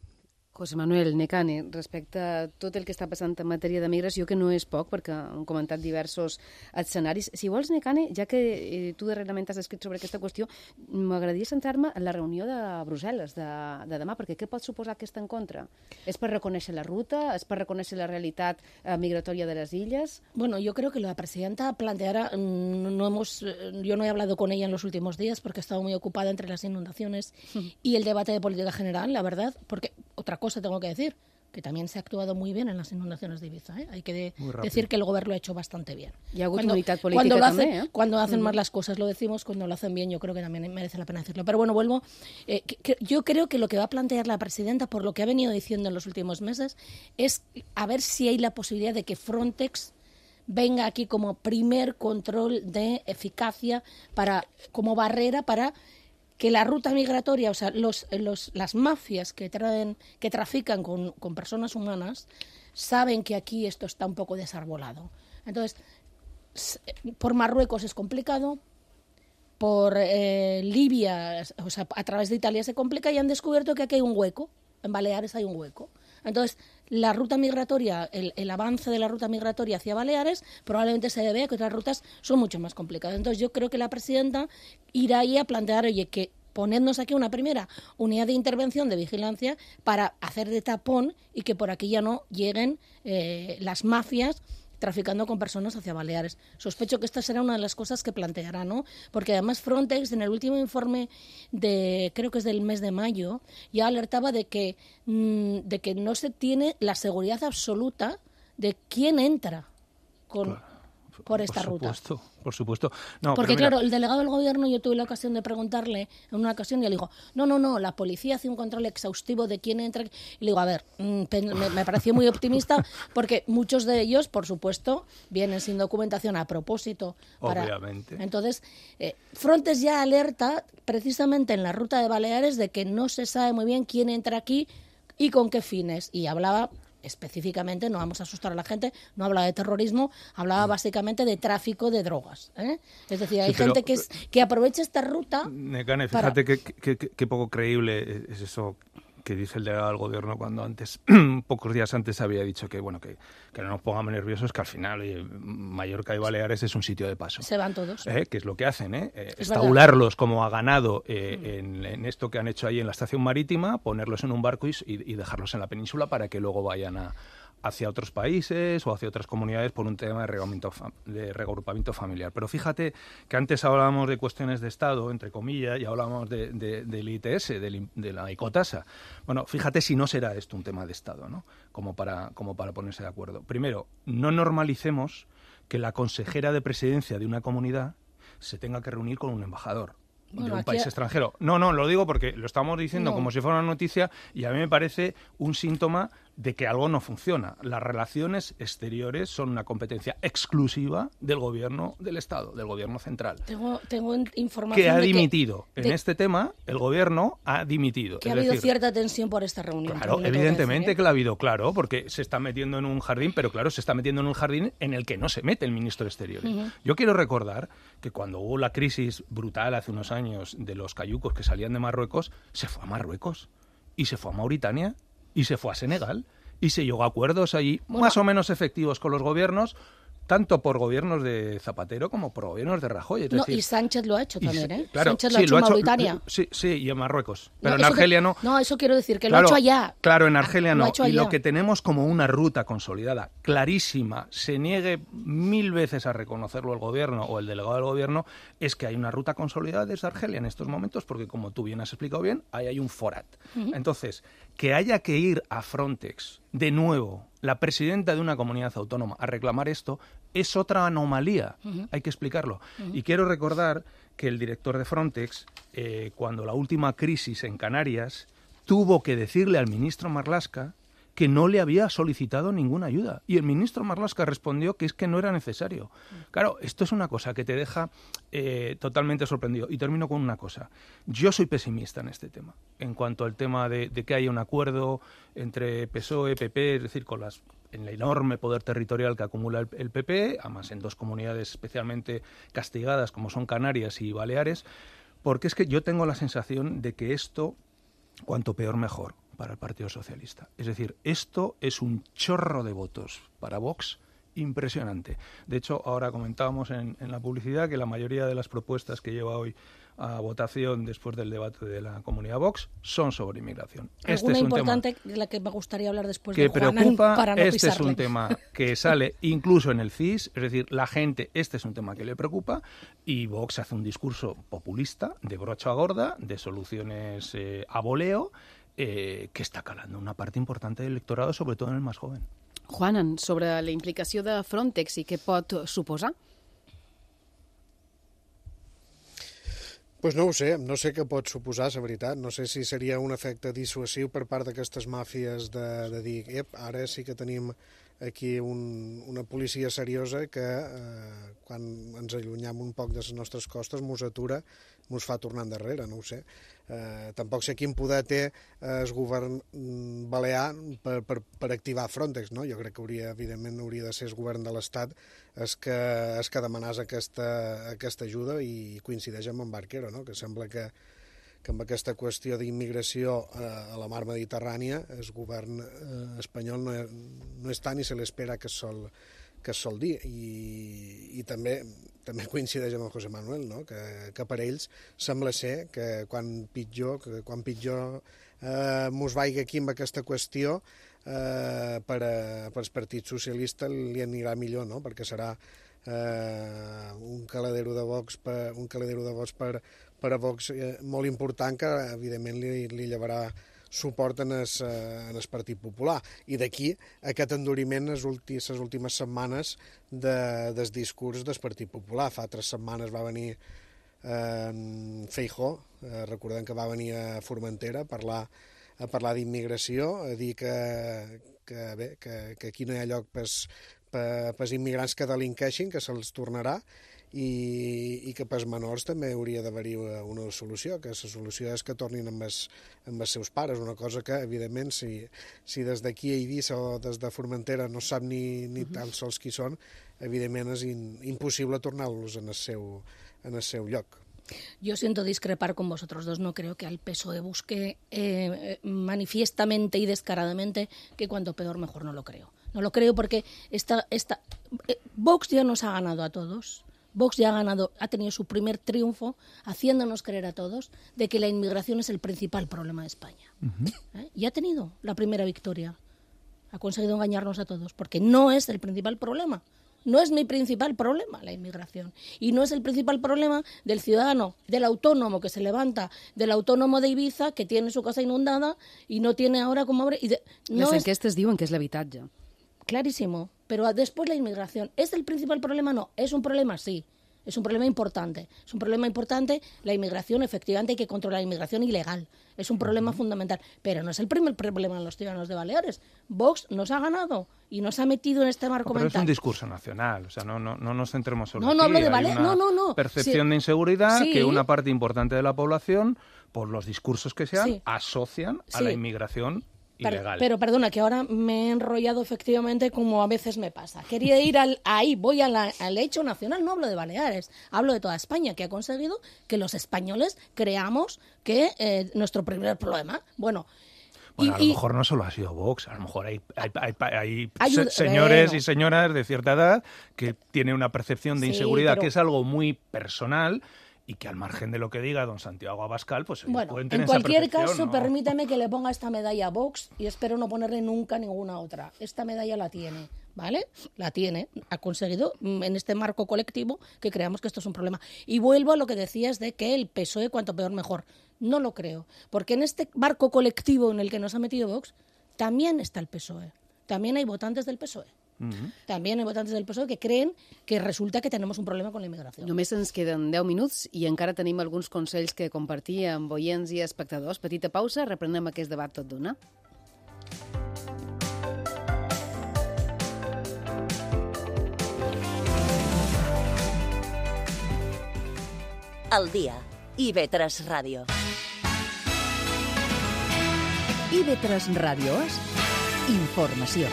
José Manuel Necane, respecte a tot el que està passant en matèria de migració, que no és poc, perquè han comentat diversos escenaris. Si vols, Necane, ja que eh, tu darrerament has escrit sobre aquesta qüestió, m'agradaria centrar-me en la reunió de Brussel·les de, de demà, perquè què pot suposar aquesta en contra? És per reconèixer la ruta? És per reconèixer la realitat eh, migratòria de les illes? Bueno, yo creo que la presidenta planteara, no hemos, yo no he hablado con ella en los últimos días porque he estado muy ocupada entre las inundaciones mm. y el debate de política general, la verdad, porque otra cosa tengo que decir, que también se ha actuado muy bien en las inundaciones de Ibiza, ¿eh? Hay que de, decir que el gobierno lo ha hecho bastante bien. Y ha hagut cuando, unitat política cuando lo també, hacen, eh? Cuando hacen uh-huh. mal las cosas lo decimos, cuando lo hacen bien yo creo que también merece la pena decirlo. Pero bueno, vuelvo. Eh, que, que yo creo que lo que va a plantear la presidenta, por lo que ha venido diciendo en los últimos meses, es a ver si hay la posibilidad de que Frontex venga aquí como primer control de eficacia, para como barrera para que la ruta migratoria, o sea, los, los, las mafias que traen, que trafican con, con personas humanas, saben que aquí esto está un poco desarbolado. Entonces, por Marruecos es complicado, por eh, Libia, o sea, a través de Italia se complica, y han descubierto que aquí hay un hueco, en Baleares hay un hueco. Entonces, la ruta migratoria, el, el avance de la ruta migratoria hacia Baleares probablemente se debe a que otras rutas son mucho más complicadas. Entonces, yo creo que la presidenta irá ahí a plantear, oye, que ponernos aquí una primera unidad de intervención de vigilancia para hacer de tapón y que por aquí ya no lleguen eh, las mafias traficando con personas hacia Baleares. Sospecho que esta será una de las cosas que planteará, ¿no? Porque además Frontex, en el último informe de, creo que es del mes de mayo, ya alertaba de que, mmm, de que no se tiene la seguridad absoluta de quién entra con... Claro. Por esta por supuesto, ruta. Por supuesto, no, porque mira... claro, el delegado del gobierno, yo tuve la ocasión de preguntarle en una ocasión y le digo, no, no, no, la policía hace un control exhaustivo de quién entra. Y le digo, a ver, me, me pareció muy optimista porque muchos de ellos, por supuesto, vienen sin documentación a propósito. Para... Obviamente. Entonces, eh, Frontex ya alerta precisamente en la ruta de Baleares de que no se sabe muy bien quién entra aquí y con qué fines. Y hablaba... específicamente, no vamos a asustar a la gente, no hablaba de terrorismo, hablaba básicamente de tráfico de drogas, ¿eh? Es decir, hay sí, pero, gente que, es, que aprovecha esta ruta... Necane, fíjate qué que, que, que poco creíble es eso que dice el delegado del gobierno cuando antes, pocos días antes había dicho que bueno que, que no nos pongamos nerviosos, que al final oye, Mallorca y Baleares es un sitio de paso. Se van todos. ¿Eh? Que es lo que hacen, ¿eh? eh estaularlos como a ganado eh, mm. en, en esto que han hecho ahí en la estación marítima, ponerlos en un barco y, y dejarlos en la península para que luego vayan a hacia otros países o hacia otras comunidades por un tema de reagrupamiento, de reagrupamiento familiar. Pero fíjate que antes hablábamos de cuestiones de Estado, entre comillas, y hablábamos de, de, del I T S, de, de la ecotasa. Bueno, fíjate si no será esto un tema de Estado, ¿no? Como para, como para ponerse de acuerdo. Primero, no normalicemos que la consejera de presidencia de una comunidad se tenga que reunir con un embajador. Bueno, de un país a... extranjero. No, no, lo digo porque lo estamos diciendo no. como si fuera una noticia y a mí me parece un síntoma de que algo no funciona. Las relaciones exteriores son una competencia exclusiva del gobierno del Estado, del gobierno central. Tengo, tengo información que ha de dimitido. Que, en de, este tema, el gobierno ha dimitido. Que es ha habido decir, cierta tensión por esta reunión. Claro, evidentemente que, decir, ¿eh? que la ha habido, claro, porque se está metiendo en un jardín, pero claro, se está metiendo en un jardín en el que no se mete el ministro de Exteriores. Uh-huh. Yo quiero recordar que cuando hubo la crisis brutal hace unos años de los cayucos que salían de Marruecos, se fue a Marruecos, y se fue a Mauritania, y se fue a Senegal, y se llegó a acuerdos allí bueno, más o menos efectivos con los gobiernos, tanto por gobiernos de Zapatero como por gobiernos de Rajoy. Es no, decir, y Sánchez lo ha hecho también, ¿eh? Claro, Sánchez lo sí, ha hecho lo en ha hecho, Mauritania. Sí, sí, y en Marruecos. Pero no, en Argelia que, no. No, eso quiero decir, que claro, lo ha hecho allá. Claro, en Argelia no. Lo y lo que tenemos como una ruta consolidada, clarísima, se niegue mil veces a reconocerlo el gobierno o el delegado del gobierno, es que hay una ruta consolidada desde Argelia en estos momentos, porque como tú bien has explicado bien, ahí hay un forat. Uh-huh. Entonces, que haya que ir a Frontex de nuevo, la presidenta de una comunidad autónoma, a reclamar esto, es otra anomalía, uh-huh. hay que explicarlo. Uh-huh. Y quiero recordar que el director de Frontex, eh, cuando la última crisis en Canarias, tuvo que decirle al ministro Marlaska que no le había solicitado ninguna ayuda. Y el ministro Marlaska respondió que es que no era necesario. Claro, esto es una cosa que te deja eh, totalmente sorprendido. Y termino con una cosa. Yo soy pesimista en este tema. En cuanto al tema de, de que haya un acuerdo entre P S O E, P P, es decir, con las en el enorme poder territorial que acumula el, el P P, además en dos comunidades especialmente castigadas como son Canarias y Baleares, porque es que yo tengo la sensación de que esto, cuanto peor mejor para el Partido Socialista. Es decir, esto es un chorro de votos para Vox impresionante. De hecho, ahora comentábamos en, en la publicidad que la mayoría de las propuestas que lleva hoy a votación después del debate de la comunidad Vox son sobre inmigración. Este es un importante tema de la que me gustaría hablar después que de Juanan, preocupa, para no este pisarle. Es un tema que sale incluso en el C I S, es decir, la gente, este es un tema que le preocupa y Vox hace un discurso populista, de brocha gorda, de soluciones eh, a voleo, eh, que està calando una part important del electorado, sobre todo en el más joven. Juanan, sobre la implicació de Frontex i què pot suposar? Pues no ho sé, no sé què pot suposar, la veritat. No sé si seria un efecte dissuasiu per part d'aquestes màfies de, de dir, ep, ara sí que tenim aquí un, una policia seriosa que eh, quan ens allunyam un poc de les nostres costes mos atura, mos fa tornar endarrere, no ho sé. Eh, tampoc sé quin poder té el govern balear per, per, per activar Frontex, no? Jo crec que hauria, evidentment, hauria de ser el govern de l'Estat el que, el que demanàs aquesta, aquesta ajuda i coincideix amb en Barquero, no? Que sembla que, que amb aquesta qüestió d'immigració a la mar Mediterrània el govern eh, espanyol no, no està ni se l'espera que es sol, que es sol dir. I, i també, també coincideix amb el José Manuel, no? que, que per ells sembla ser que quan pitjor, que quan pitjor eh, mos vaiga aquí amb aquesta qüestió eh, per, a, per al Partit Socialista li anirà millor, no? Perquè serà eh, un caladero de Vox per, un caladero de Vox per, per a Vox eh, molt important que evidentment li, li llevarà suport en el, en el Partit Popular. I d'aquí aquest enduriment les últimes, les últimes setmanes de, del discurs del Partit Popular. Fa tres setmanes va venir eh, Feijóo, eh, recordem que va venir a Formentera a parlar, a parlar d'immigració, a dir que, que, bé, que, que aquí no hi ha lloc per als immigrants que delinqueixin, que se'ls tornarà, i, i que pels menors també hauria d'haver-hi una solució, que la solució és que tornin amb els, amb els seus pares, una cosa que, evidentment, si, si des d'aquí a Eivissa o des de Formentera no sap ni, ni tan sols qui són, evidentment és in, impossible tornar-los en el seu, en el seu lloc. Yo siento discrepar con vosotros dos. No creo que el P S O E busque eh, manifiestamente y descaradamente que cuanto peor mejor. No lo creo. No lo creo porque esta, esta, eh, Vox ya nos ha ganado a todos. Vox ya ha ganado, ha tenido su primer triunfo haciéndonos creer a todos de que la inmigración es el principal problema de España. Uh-huh. ¿Eh? Y ha tenido la primera victoria. Ha conseguido engañarnos a todos porque no es el principal problema. No es mi principal problema la inmigración. Y no es el principal problema del ciudadano, del autónomo que se levanta, del autónomo de Ibiza que tiene su casa inundada y no tiene ahora como abre. Y de, no Les enquestes es... diuen que és l'habitatge. Clarísimo. Pero después la inmigración. ¿Es el principal problema? No. ¿Es un problema? Sí. Es un problema importante. Es un problema importante la inmigración, efectivamente hay que controlar la inmigración ilegal. Es un problema uh-huh. fundamental. Pero no es el primer problema de los ciudadanos de Baleares. Vox nos ha ganado y nos ha metido en este marco no, pero mental. Es un discurso nacional, o sea, no, no, no nos centremos solo No, aquí. no hablo de Hay Baleares, una no, no, no. percepción sí. de inseguridad sí. que una parte importante de la población, por los discursos que sean, sí. asocian a sí. la inmigración ilegal. Pero perdona, que ahora me he enrollado efectivamente como a veces me pasa. Quería ir al, ahí, voy a la, al hecho nacional, no hablo de Baleares, hablo de toda España, que ha conseguido que los españoles creamos que eh, nuestro primer problema, bueno... Bueno, y, a lo y, mejor no solo ha sido Vox, a lo mejor hay, hay, hay, hay ayuda, se, señores bueno. y señoras de cierta edad que tienen una percepción de sí, inseguridad pero... que es algo muy personal y que al margen de lo que diga don Santiago Abascal, pues bueno, pueden tener en cualquier esa caso, ¿no? permítame que le ponga esta medalla a Vox y espero no ponerle nunca ninguna otra. Esta medalla la tiene, ¿vale? La tiene. Ha conseguido en este marco colectivo que creamos que esto es un problema. Y vuelvo a lo que decías de que el P S O E cuanto peor mejor. No lo creo, porque en este marco colectivo en el que nos ha metido Vox también está el P S O E. También hay votantes del P S O E. Uh-huh. También hay votantes del P S O E que creen que resulta que tenemos un problema con la immigració. Només ens queden deu minuts i encara tenim alguns consells que compartir amb oients i espectadors. Petita pausa, reprenem aquest debat tot d'una. Al dia, I V tres Ràdio. I V tres Ràdio és informació.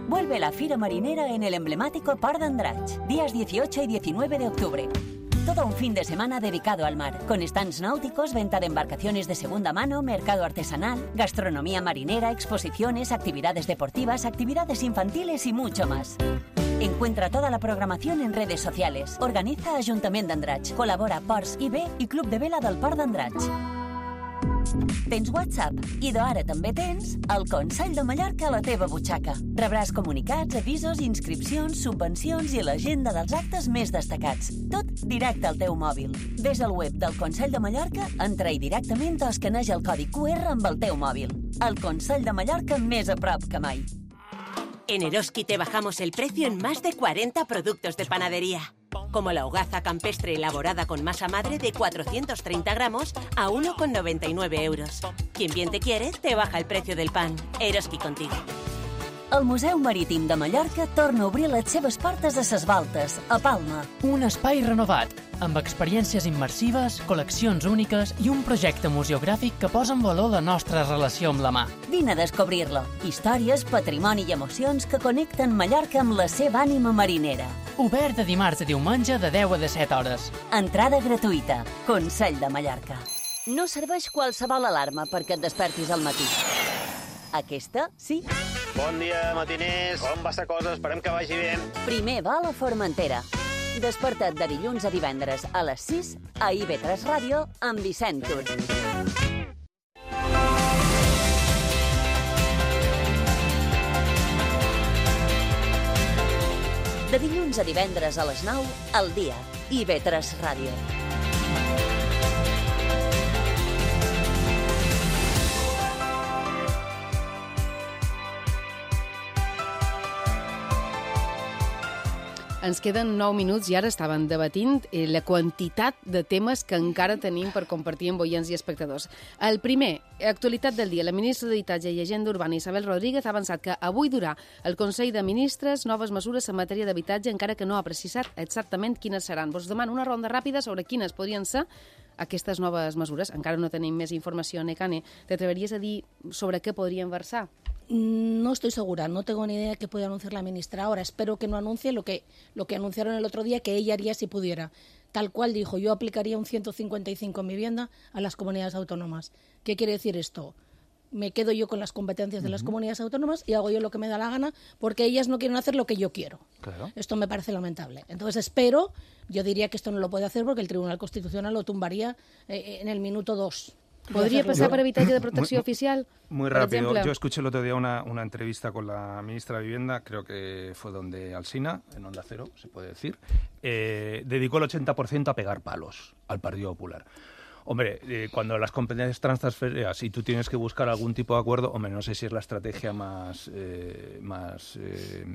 Vuelve la Fira Marinera en el emblemático Port d'Andratx, días dieciocho y diecinueve de octubre. Todo un fin de semana dedicado al mar, con stands náuticos, venta de embarcaciones de segunda mano, mercado artesanal, gastronomía marinera, exposiciones, actividades deportivas, actividades infantiles y mucho más. Encuentra toda la programación en redes sociales. Organiza Ajuntament d'Andratx, col·labora Ports I B i Club de Vela del Port d'Andratx. Tens WhatsApp i d'ara també tens el Consell de Mallorca a la teva butxaca. Rebràs comunicats, avisos, inscripcions, subvencions i l'agenda dels actes més destacats. Tot directe al teu mòbil. Ves al web del Consell de Mallorca, entra-hi directament o escaneja el codi Q R amb el teu mòbil. El Consell de Mallorca més a prop que mai. En Eroski te bajamos el precio en más de cuarenta productos de panadería. Como la hogaza campestre elaborada con masa madre de cuatrocientos treinta gramos a uno con noventa y nueve euros. Quien bien te quiere, te baja el precio del pan. Eroski contigo. El Museu Marítim de Mallorca torna a obrir les seves portes a Ses Baltes, a Palma. Un espai renovat, amb experiències immersives, col·leccions úniques i un projecte museogràfic que posa en valor la nostra relació amb la mà. Vine a descobrir-lo. Històries, patrimoni i emocions que connecten Mallorca amb la seva ànima marinera. Obert de dimarts a diumenge de deu a disset hores. Entrada gratuïta. Consell de Mallorca. No serveix qualsevol alarma perquè et despertis al matí. Aquesta, sí. Bon dia, matiners. Com va la cosa? Esperem que vagi bé. Primer vol a Formentera. Desperta't de dilluns a divendres a les sis a I V tres Ràdio amb Vicent Tur. De dilluns a divendres a les nou, al dia, I V tres Ràdio. Ens queden nou minuts i ara estaven debatint la quantitat de temes que encara tenim per compartir amb oients i espectadors. El primer, actualitat del dia. La ministra d'Habitatge i Agenda Urbana, Isabel Rodríguez, ha avançat que avui durà el Consell de Ministres noves mesures en matèria d'habitatge, encara que no ha precisat exactament quines seran. Vos demano una ronda ràpida sobre quines podrien ser aquestes noves mesures. Encara no tenim més informació, Necane. T'atreveries a dir sobre què podrien versar? No estoy segura, no tengo ni idea de qué puede anunciar la ministra ahora. Espero que no anuncie lo que, lo que anunciaron el otro día, que ella haría si pudiera. Tal cual dijo, yo aplicaría un ciento cincuenta y cinco en vivienda a las comunidades autónomas. ¿Qué quiere decir esto? Me quedo yo con las competencias de las comunidades autónomas y hago yo lo que me da la gana porque ellas no quieren hacer lo que yo quiero. Claro. Esto me parece lamentable. Entonces espero, yo diría que esto no lo puede hacer porque el Tribunal Constitucional lo tumbaría eh, en el minuto dos. ¿Podría pasar por habitatge de protecció muy, oficial? Muy rápido. Yo escuché el otro día una, una entrevista con la ministra de Vivienda, creo que fue donde Alsina, en Onda Cero, se puede decir, eh, dedicó el ochenta por ciento a pegar palos al Partido Popular. Hombre, eh, cuando las competencias transferidas y tú tienes que buscar algún tipo de acuerdo, hombre, no sé si es la estrategia más, eh, más eh,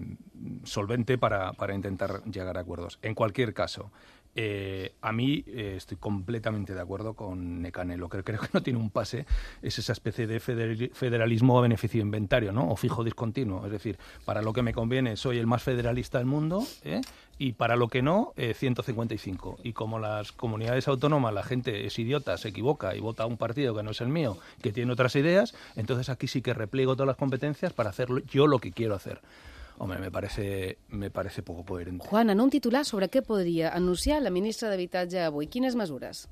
solvente para, para intentar llegar a acuerdos. En cualquier caso, Eh, a mí eh, estoy completamente de acuerdo con Nekane. Lo que creo que no tiene un pase es esa especie de federalismo a beneficio inventario, ¿no? O fijo discontinuo. Es decir, para lo que me conviene soy el más federalista del mundo, ¿eh? Y para lo que no, eh, ciento cincuenta y cinco. Y como las comunidades autónomas la gente es idiota, se equivoca y vota a un partido que no es el mío, que tiene otras ideas, entonces aquí sí que repliego todas las competencias para hacer yo lo que quiero hacer. Home, me parece, me parece poco coherente. Juan, en un titular sobre què podria anunciar la ministra d'Habitatge avui? Quines mesures?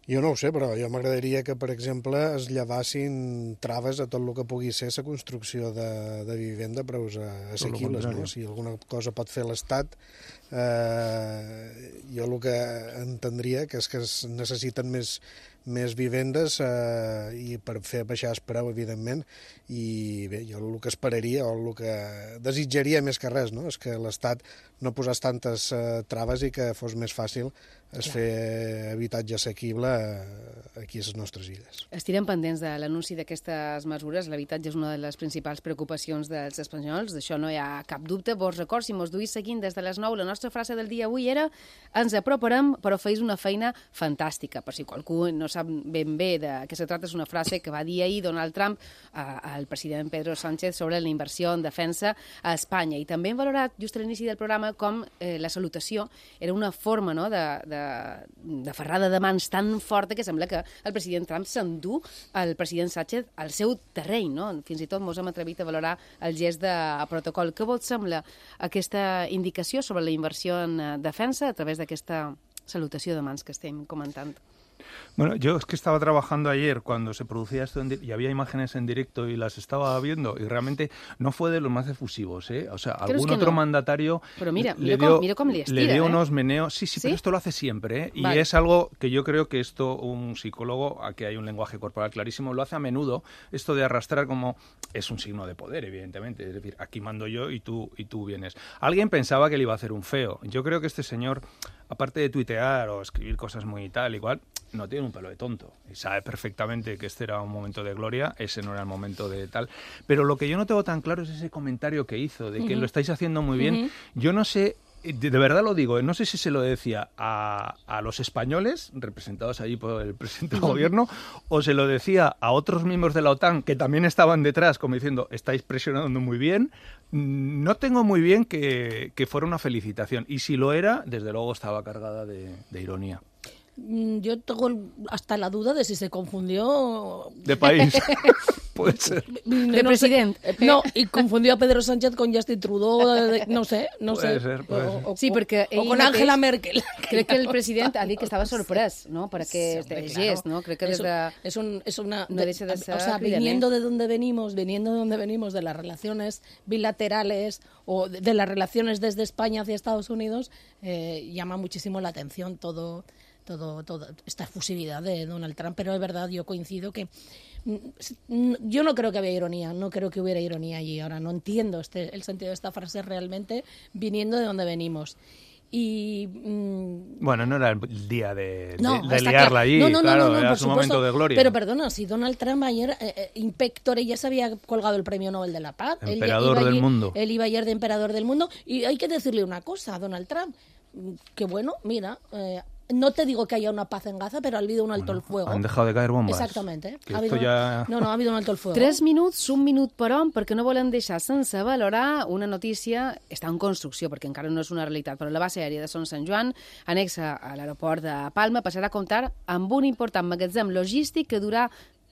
Jo no ho sé, però jo m'agradaria que, per exemple, es llevassin traves a tot el que pugui ser la construcció de, de vivenda a preus assequibles. No? Si alguna cosa pot fer l'Estat, eh, jo el que entendria que és que es necessiten més, més vivendes eh, i per fer baixar el preu, evidentment, i bé, jo el que esperaria o el que desitjaria més que res, no? És que l'Estat no posés tantes eh, traves i que fos més fàcil es Clar. fer habitatge assequible aquí a les nostres illes. Estirem pendents de l'anunci d'aquestes mesures. L'habitatge és una de les principals preocupacions dels espanyols, d'això no hi ha cap dubte. Vos record, si mos duís seguint des de les nou, la nostra frase del dia avui era ens aproparem, però feis una feina fantàstica. Per si qualcú no sap ben bé de què se trata, és una frase que va dir ahir Donald Trump al president Pedro Sánchez sobre la inversió en defensa a Espanya. I també hem valorat, just a l'inici del programa, com eh, la salutació era una forma no, de, de de ferrada de mans tan forta que sembla que el president Trump s'endú el president Sánchez al seu terreny, no? Fins i tot mos hem atrevit a valorar el gest de protocol. Què vos sembla aquesta indicació sobre la inversió en defensa a través d'aquesta salutació de mans que estem comentant? Bueno, yo es que estaba trabajando ayer cuando se producía esto en y había imágenes en directo y las estaba viendo y realmente no fue de los más efusivos, ¿eh? O sea, algún otro no? mandatario pero mira, le, mira dio, com, mira com li estira, le dio ¿eh? unos meneos. Sí, sí, ¿Sí? Pero esto lo hace siempre, ¿eh? Y vale. es algo que yo creo que esto un psicólogo, aquí hay un lenguaje corporal clarísimo, lo hace a menudo, esto de arrastrar como es un signo de poder, evidentemente, es decir, aquí mando yo y tú, y tú vienes. Alguien pensaba que le iba a hacer un feo. Yo creo que este señor, aparte de tuitear o escribir cosas muy tal, igual, no tiene un pelo de tonto y sabe perfectamente que este era un momento de gloria, ese no era el momento de tal. Pero lo que yo no tengo tan claro es ese comentario que hizo de que uh-huh. lo estáis haciendo muy bien. Uh-huh. Yo no sé, de, de verdad lo digo, no sé si se lo decía a, a los españoles, representados allí por el presidente del uh-huh. gobierno, o se lo decía a otros miembros de la OTAN que también estaban detrás, como diciendo, estáis presionando muy bien. No tengo muy bien que, que fuera una felicitación. Y si lo era, desde luego estaba cargada de, de ironía. Yo tengo hasta la duda de si se confundió... De país. Puede ser. De no presidente. Sé. No, y confundió a Pedro Sánchez con Justin Trudeau, de, no sé, no puede sé. Ser, puede o, ser. O, sí, perquè o con Angela Merkel. Crec que el president ha dit que estava sorprès, ¿no? Per aquest sí, gest, ¿no? Crec que des de... Es, un, es una... No deixa de ser o sea, viniendo de donde venimos, viniendo de donde venimos, de las relaciones bilaterales o de, de las relaciones desde España hacia Estados Unidos, eh, llama muchísimo la atención todo... Todo, todo esta efusividad de Donald Trump, pero es verdad, yo coincido que yo no creo que había ironía, no creo que hubiera ironía allí. Ahora no entiendo este, el sentido de esta frase realmente viniendo de donde venimos. Y mmm... bueno, no era el día de, no, de, de liarla allí, no, no, claro, no, no, no, era por su supuesto, momento de gloria. Pero perdona, si Donald Trump ayer, eh, eh, Inspector, ya se había colgado el premio Nobel de la Paz. Emperador él, del ayer, mundo. Él iba ayer de emperador del mundo. Y hay que decirle una cosa a Donald Trump, que bueno, mira... Eh, no te digo que haya una paz en Gaza, pero ha habido un alto bueno, el fuego. Han dejado de caer bombas. Exactamente. Que ha habido, ya... No, no, ha habido un alto el fuego. Tres minuts, un minut per hom, perquè no volen deixar sense valorar una notícia, està en construcció, perquè encara no és una realitat, però la base aèria de Son Sant Joan, anexa a l'aeroport de Palma, passarà a comptar amb un important magatzem logístic que durà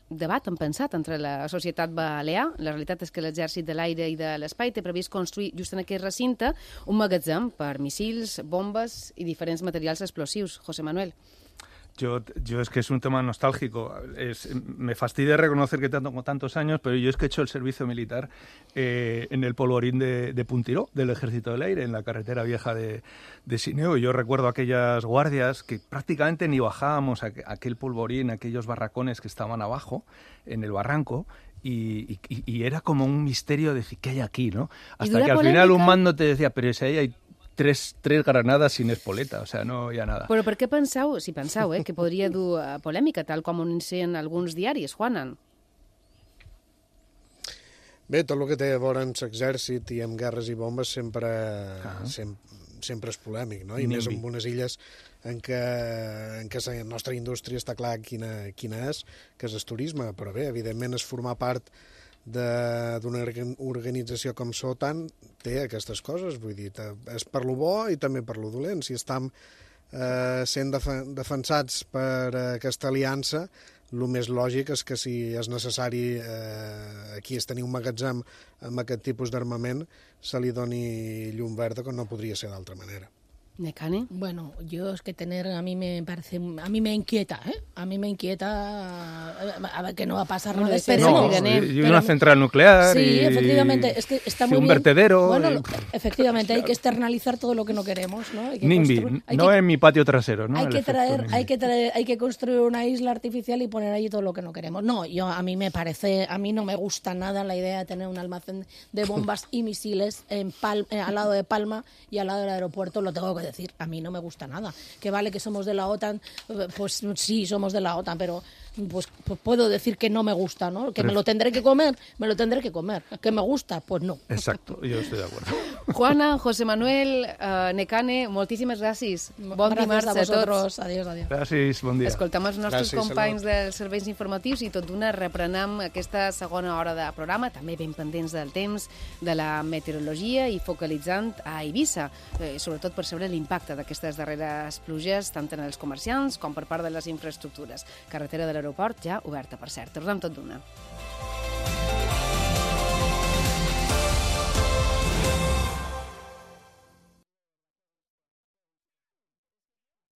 debat han pensat entre la societat balear. La realitat és que l'Exèrcit de l'Aire i de l'Espai té previst construir just en aquest recinte un magatzem per missils, bombes i diferents materials explosius. José Manuel. Yo, yo es que es un tema nostálgico. Es, me fastidia reconocer que tengo tantos años, pero yo es que he hecho el servicio militar eh, en el polvorín de, de Puntiró, del Ejército del Aire, en la carretera vieja de, de Sineu. Yo recuerdo aquellas guardias que prácticamente ni bajábamos a, a aquel polvorín, aquellos barracones que estaban abajo, en el barranco, y, y, y era como un misterio de decir, ¿qué hay aquí, no? Hasta que al final un mando te decía, pero si ahí hay tres, tres granadas sin espoleta, o sea, no hi ha nada. Però per què penseu, si penseu, eh, que podria dur a polèmica, tal com anuncien alguns diaris, Juanan? Bé, tot el que té a veure amb l'exèrcit i amb guerres i bombes sempre, ah. sempre, sempre és polèmic, no? I Nimbi. Més en unes illes en què, en què la nostra indústria està clar quina, quina és, que és el turisme, però bé, evidentment és formar part d'una organització com l'OTAN té aquestes coses, vull dir, és per lo bo i també per lo dolent. Si estem eh, sent defen defensats per aquesta aliança, el més lògic és que si és necessari eh, aquí es tenir un magatzem amb aquest tipus d'armament, se li doni llum verda, com no podria ser d'altra manera. ¿Necane? Bueno, yo es que tener, a mí me parece, a mí me inquieta, ¿eh? A mí me inquieta, a ver que no va a pasar nada. No, y una central nuclear. Sí, y, efectivamente, es que está muy un bien. vertedero. Bueno, y... efectivamente, hay que externalizar todo lo que no queremos, ¿no? Hay que NIMBY, no que, en mi patio trasero, ¿no? Hay que traer, hay que traer, hay que construir una isla artificial y poner allí todo lo que no queremos. No, yo a mí me parece, a mí no me gusta nada la idea de tener un almacén de bombas y misiles en Pal, eh, al lado de Palma y al lado del aeropuerto, lo tengo que decir, a mí no me gusta nada. Que vale que somos de la OTAN, pues sí, somos de la OTAN, pero pues, pues puedo decir que no me gusta, ¿no? Que pero... me lo tendré que comer, me lo tendré que comer. Que me gusta, pues no. Exacto, yo estoy de acuerdo. Juana, José Manuel, uh, Necane, moltíssimes gràcies. Bon gràcies dimarts a, a vosaltres. tots. Adiós, adiós. Gràcies, bon dia. Escoltem els nostres gràcies, companys salut. dels serveis informatius i tot d'una reprenem aquesta segona hora de programa, també ben pendents del temps, de la meteorologia i focalitzant a Eivissa, eh, sobretot per saber l'impacte d'aquestes darreres pluges, tant en els comerciants com per part de les infraestructures. Carretera de l'aeroport ja oberta, per cert. Tornem tot d'una.